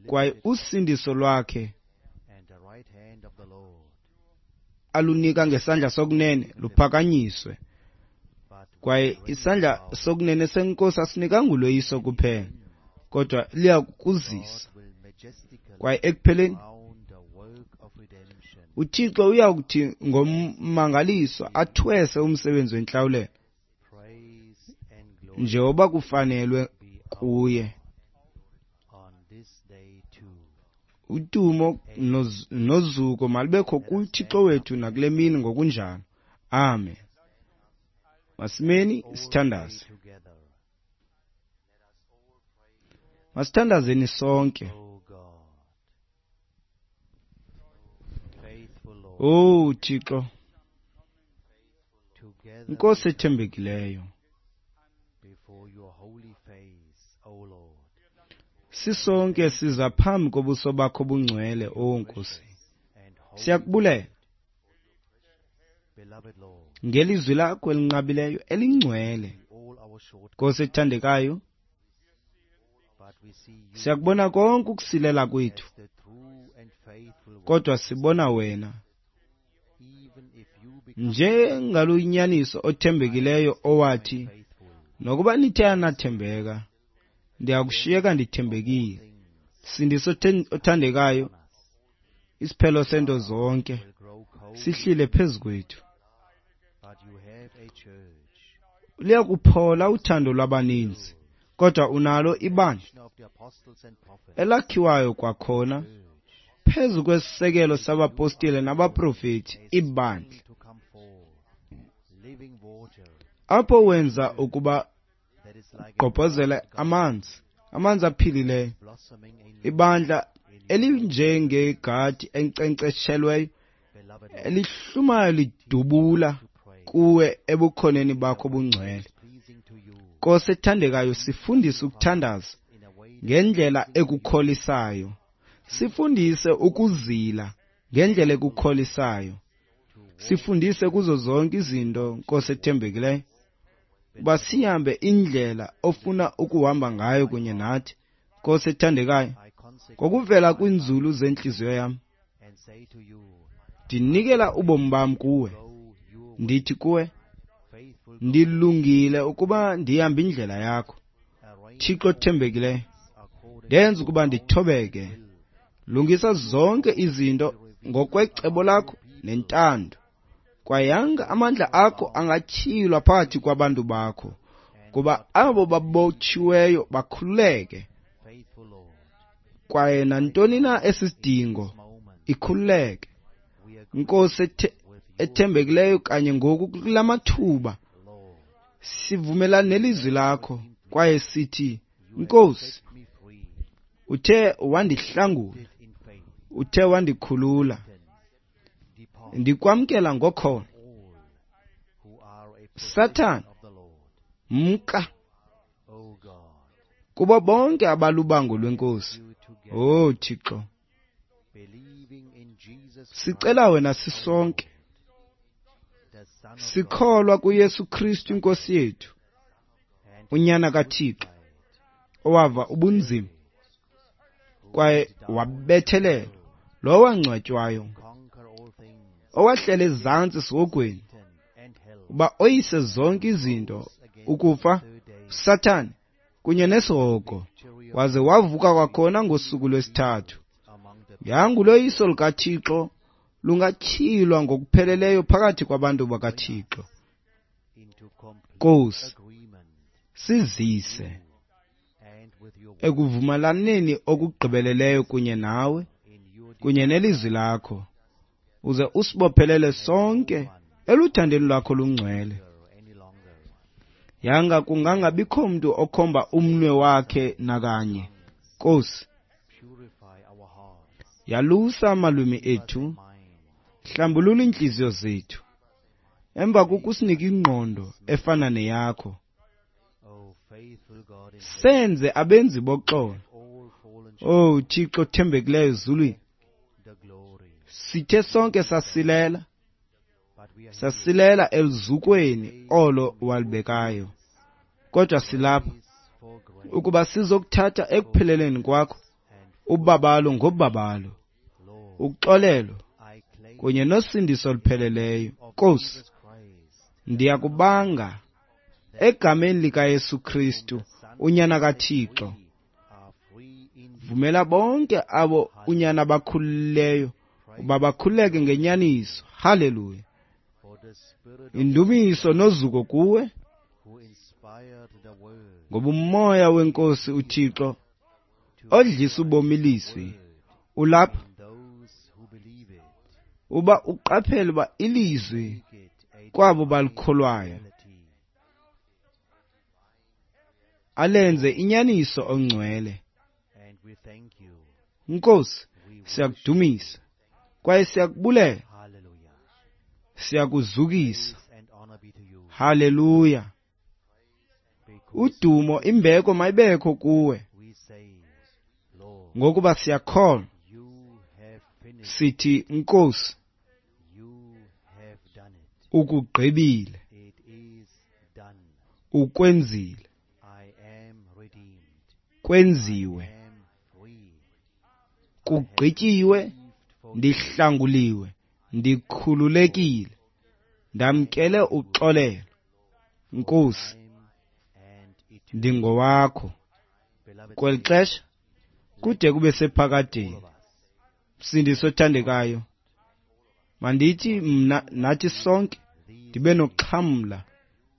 kwaye usindiso lwakhe alunika ngesandla sokunene luphakanyiswe. Kwaye isandla sokunene seNkosi asinikanga uloyiso kuphela, kodwa liyakuzisa. Kwaye ekupheleni uThixo uyakuthi ngommangaliso athwese umsebenzi wentlawulelo njengoba kufanelwe kuye. Udumo nozuko malubekho kuThixo wethu nakule mini ngokunjalo. Amen. Masimeni sithandaze. Masithandazeni sonke. Oh Thixo, Nkosi ethembekileyo, sisonke siza phambi kobuso bakho obungcwele, oh Nkosi. Siyakubulela ngelizwi lakho elinqabileyo elingcwele. Nkosi ethandekayo, siyakubona konke ukusilela kwethu, kodwa sibona wena njengaloyinyaniso othembekileyo owathi, nokuba nithe anathembeka, ndiyakushiyeka ndithembekile. Sindiso othandekayo, isiphelo sento zonke sihlile phezu kwethu. Liyakuphola uthando lwabaninzi, kodwa unalo ibandla elakhiwayo kwakhona phezu kwesisekelo sabapostile nabaprofeti, ibandla apho wenza ukuba gqobhozele amanzi, amanzi aphilileyo, ibandla elinjengegadi enkcenkceshelweyo elihlumayo lidubula kuwe ebukhoneni bakho obungcwele. Nkosi ethandekayo, sifundise ukuthandaza ngendlela ekukholisayo. Sifundise ukuzila ngendlela ekukholisayo. Sifundise kuzo zonke izinto, Nkosi ethembekileyo, uba sihambe indlela ofuna ukuhamba ngayo kunye nathi. Nkosi ethandekayo, ngokuvela kwinzulu zentliziyo yam, ndinikela ubomi bam kuwe. Ndithi kuwe, ndilungile ukuba ndihambe indlela yakho. Thixo othembekileyo, ndenza ukuba ndithobeke. Lungisa zonke izinto ngokwecebo lakho nentando. Kwaye yanga amandla akho angatyhilwa phakathi kwabantu bakho, kuba abo babotshiweyo bakhululeke. Kwaye nantoni na esisidingo ikhululeke. Nkosi ethembekileyo, kanye ngoku kula mathuba sivumelana nelizwi lakho kwaye sithi, Nkosi, uthe wandihlangula, uthe wandikhulula, ndikwamkela ngokholo. Sathana, mka kubo bonke abalubango lweNkosi. Oh Thixo, sicela wena sisonke, sikholwa kuYesu Kristu iNkosi yethu, uNyana kaThixo, owava ubunzima kwaye wabethelelwa, lo wangcwatywayo, owahlela ezantsi esihogweni, uba oyise zonke izinto, ukufa, Sathane kunye nesihogo, waze wavuka kwakhona ngosuku lwesithathu. Yangu loyiso lukaThixo lungatyhilwa ngokupheleleyo phakathi kwabantu bakaThixo. Nkosi, agreement sizise and with your ekuvumelaneni okugqibeleleyo kunye nawe in your kunye nelizwi lakho, uze usibophelele sonke eluthandweni lwakho lungcwele. desire any longer. Yanga kungangabikho mntu okhomba umnwe wakhe nakanye. Nkosi, Purify our hearts, yalusa amalwimi ethu, mind, hlambulula iintliziyo zethu, emva kokusinika ingqondo efana neyakho. O faithful God in heaven, Senze abenzi boxolo. all fallen Oh Thixo othembekileyo ezulwini, the glory. sithe sonke sasilela, But we are here sasilela eluzukweni olo walibekayo. Kodwa silapha grace for grace ukuba sizokuthatha ekupheleleni kwakho and ubabalo ngobabalo, Lord, uxolelo I claim kunye nosindiso olupheleleyo. of Nkosi, Jesus Christ, ndiyakubanga egameni likaYesu Kristu, unyana kaThixo. we are free indeed. Vumela bonke abo unyana bakhululeyo uba bakhululeke ngenyaniso. Haleluya. For the Spirit Indumiso nozuko kuwe, who inspired the word ngoba umoya wenkosi uThixo odlisa ubomi ilizwi ulapha in those who believe it, uba uqaphele uba ilizwi make it a kwabo balikholwayo reality. alenze inyaniso ongcwele. And we thank you. Nkosi, We worship. siyakudumisa kwaye siyakubulela, Hallelujah. siyakuzukisa. Praise and honor be to you. Haleluya. Because Udumo imbeko mayibekho kuwe, we say, Lord, ngokuba siyakholwa you have finished. sithi Nkosi You have done it. ukugqibile, It is done. ukwenzile, I am redeemed. kwenziwe, I am free. kugqityiwe, Received for ndihlanguliwe, ndikhululekile, ndamkele uxolelo. Nkosi, time and eternity. ndingowakho Beloved, kweli xesha kude kube sephakadeni. all of us, Msindisi othandekayo, mandithi mna nathi sonke these ndibe noxhamla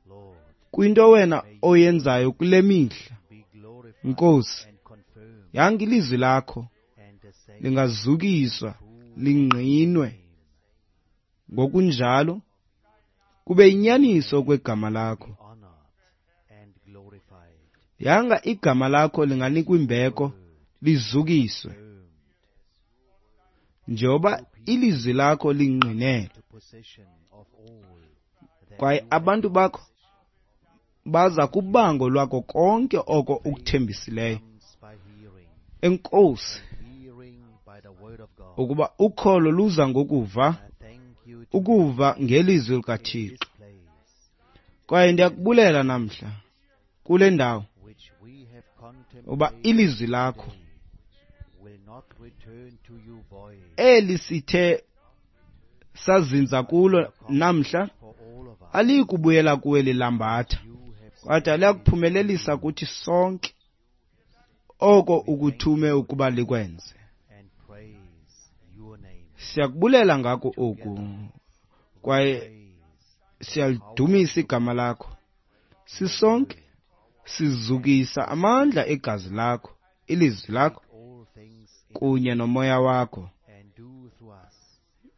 Lord, kwinto wena oyenzayo kule mihla. be glorified Nkosi, and confirmed, yanga ilizwi lakho and the same lingazukiswa lingqinwe ngokunjalo kube inyaniso kwegama lakho. be honored and glorified. Yanga igama lakho linganikwa imbeko lizukiswe, Confirmed njengoba ilizwi lakho lingqinelwe, to possession of all that kwaye you abantu bakho baza kubango lwako konke oko ukuthembisileyo. comes by hearing, Enkosi hearing by the word of God. ukuba ukholo luza ngokuva, I thank you to ukuva ngelizwi in likaThixo. this place Kwaye ndiyakubulela namhla kule ndawo which we have uba contemplated ilizwi lakho today will not return to you void eli sithe sazinza kulo namhla for all of us. aliyikubuyela kuwe lilambatha, You have kodwa liyakuphumelelisa kuthi sonke oko ukuthume ukuba likwenze. and praise your name. Siyakubulela ngako oku kwaye Praise siyalidumisa igama lakho. Sisonke sizukisa amandla egazi lakho, ilizwi lakho all things in kunye nomoya wakho. and do through us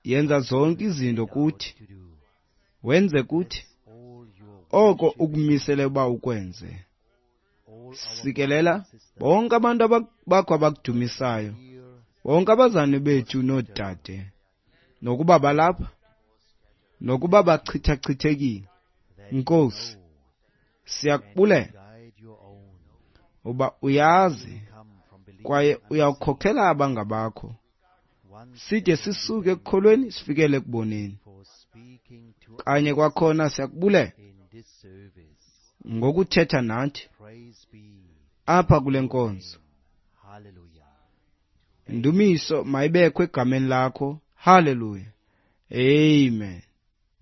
Yenza zonke izinto kuthi, to do. wenze kuthi All your oko ukumisele uba ukwenze. all our Sikelela bonke abantu bakho abakudumisayo, here bonke abazane bethu noodade, nokuba balapha, nokuba bachithachithekile. that you Nkosi, know siyakubulela guide your own uba uyazi come from believing kwaye uyawukhokhela abangabakho, once side sisuke ekukholweni sifikele ekuboneni. for speaking to Kanye kwakhona siyakubulela in this service. ngokuthetha nathi Praise be. apha kule nkonzo. Hallelujah. Indumiso mayibekho egameni lakho. Haleluya. Amen.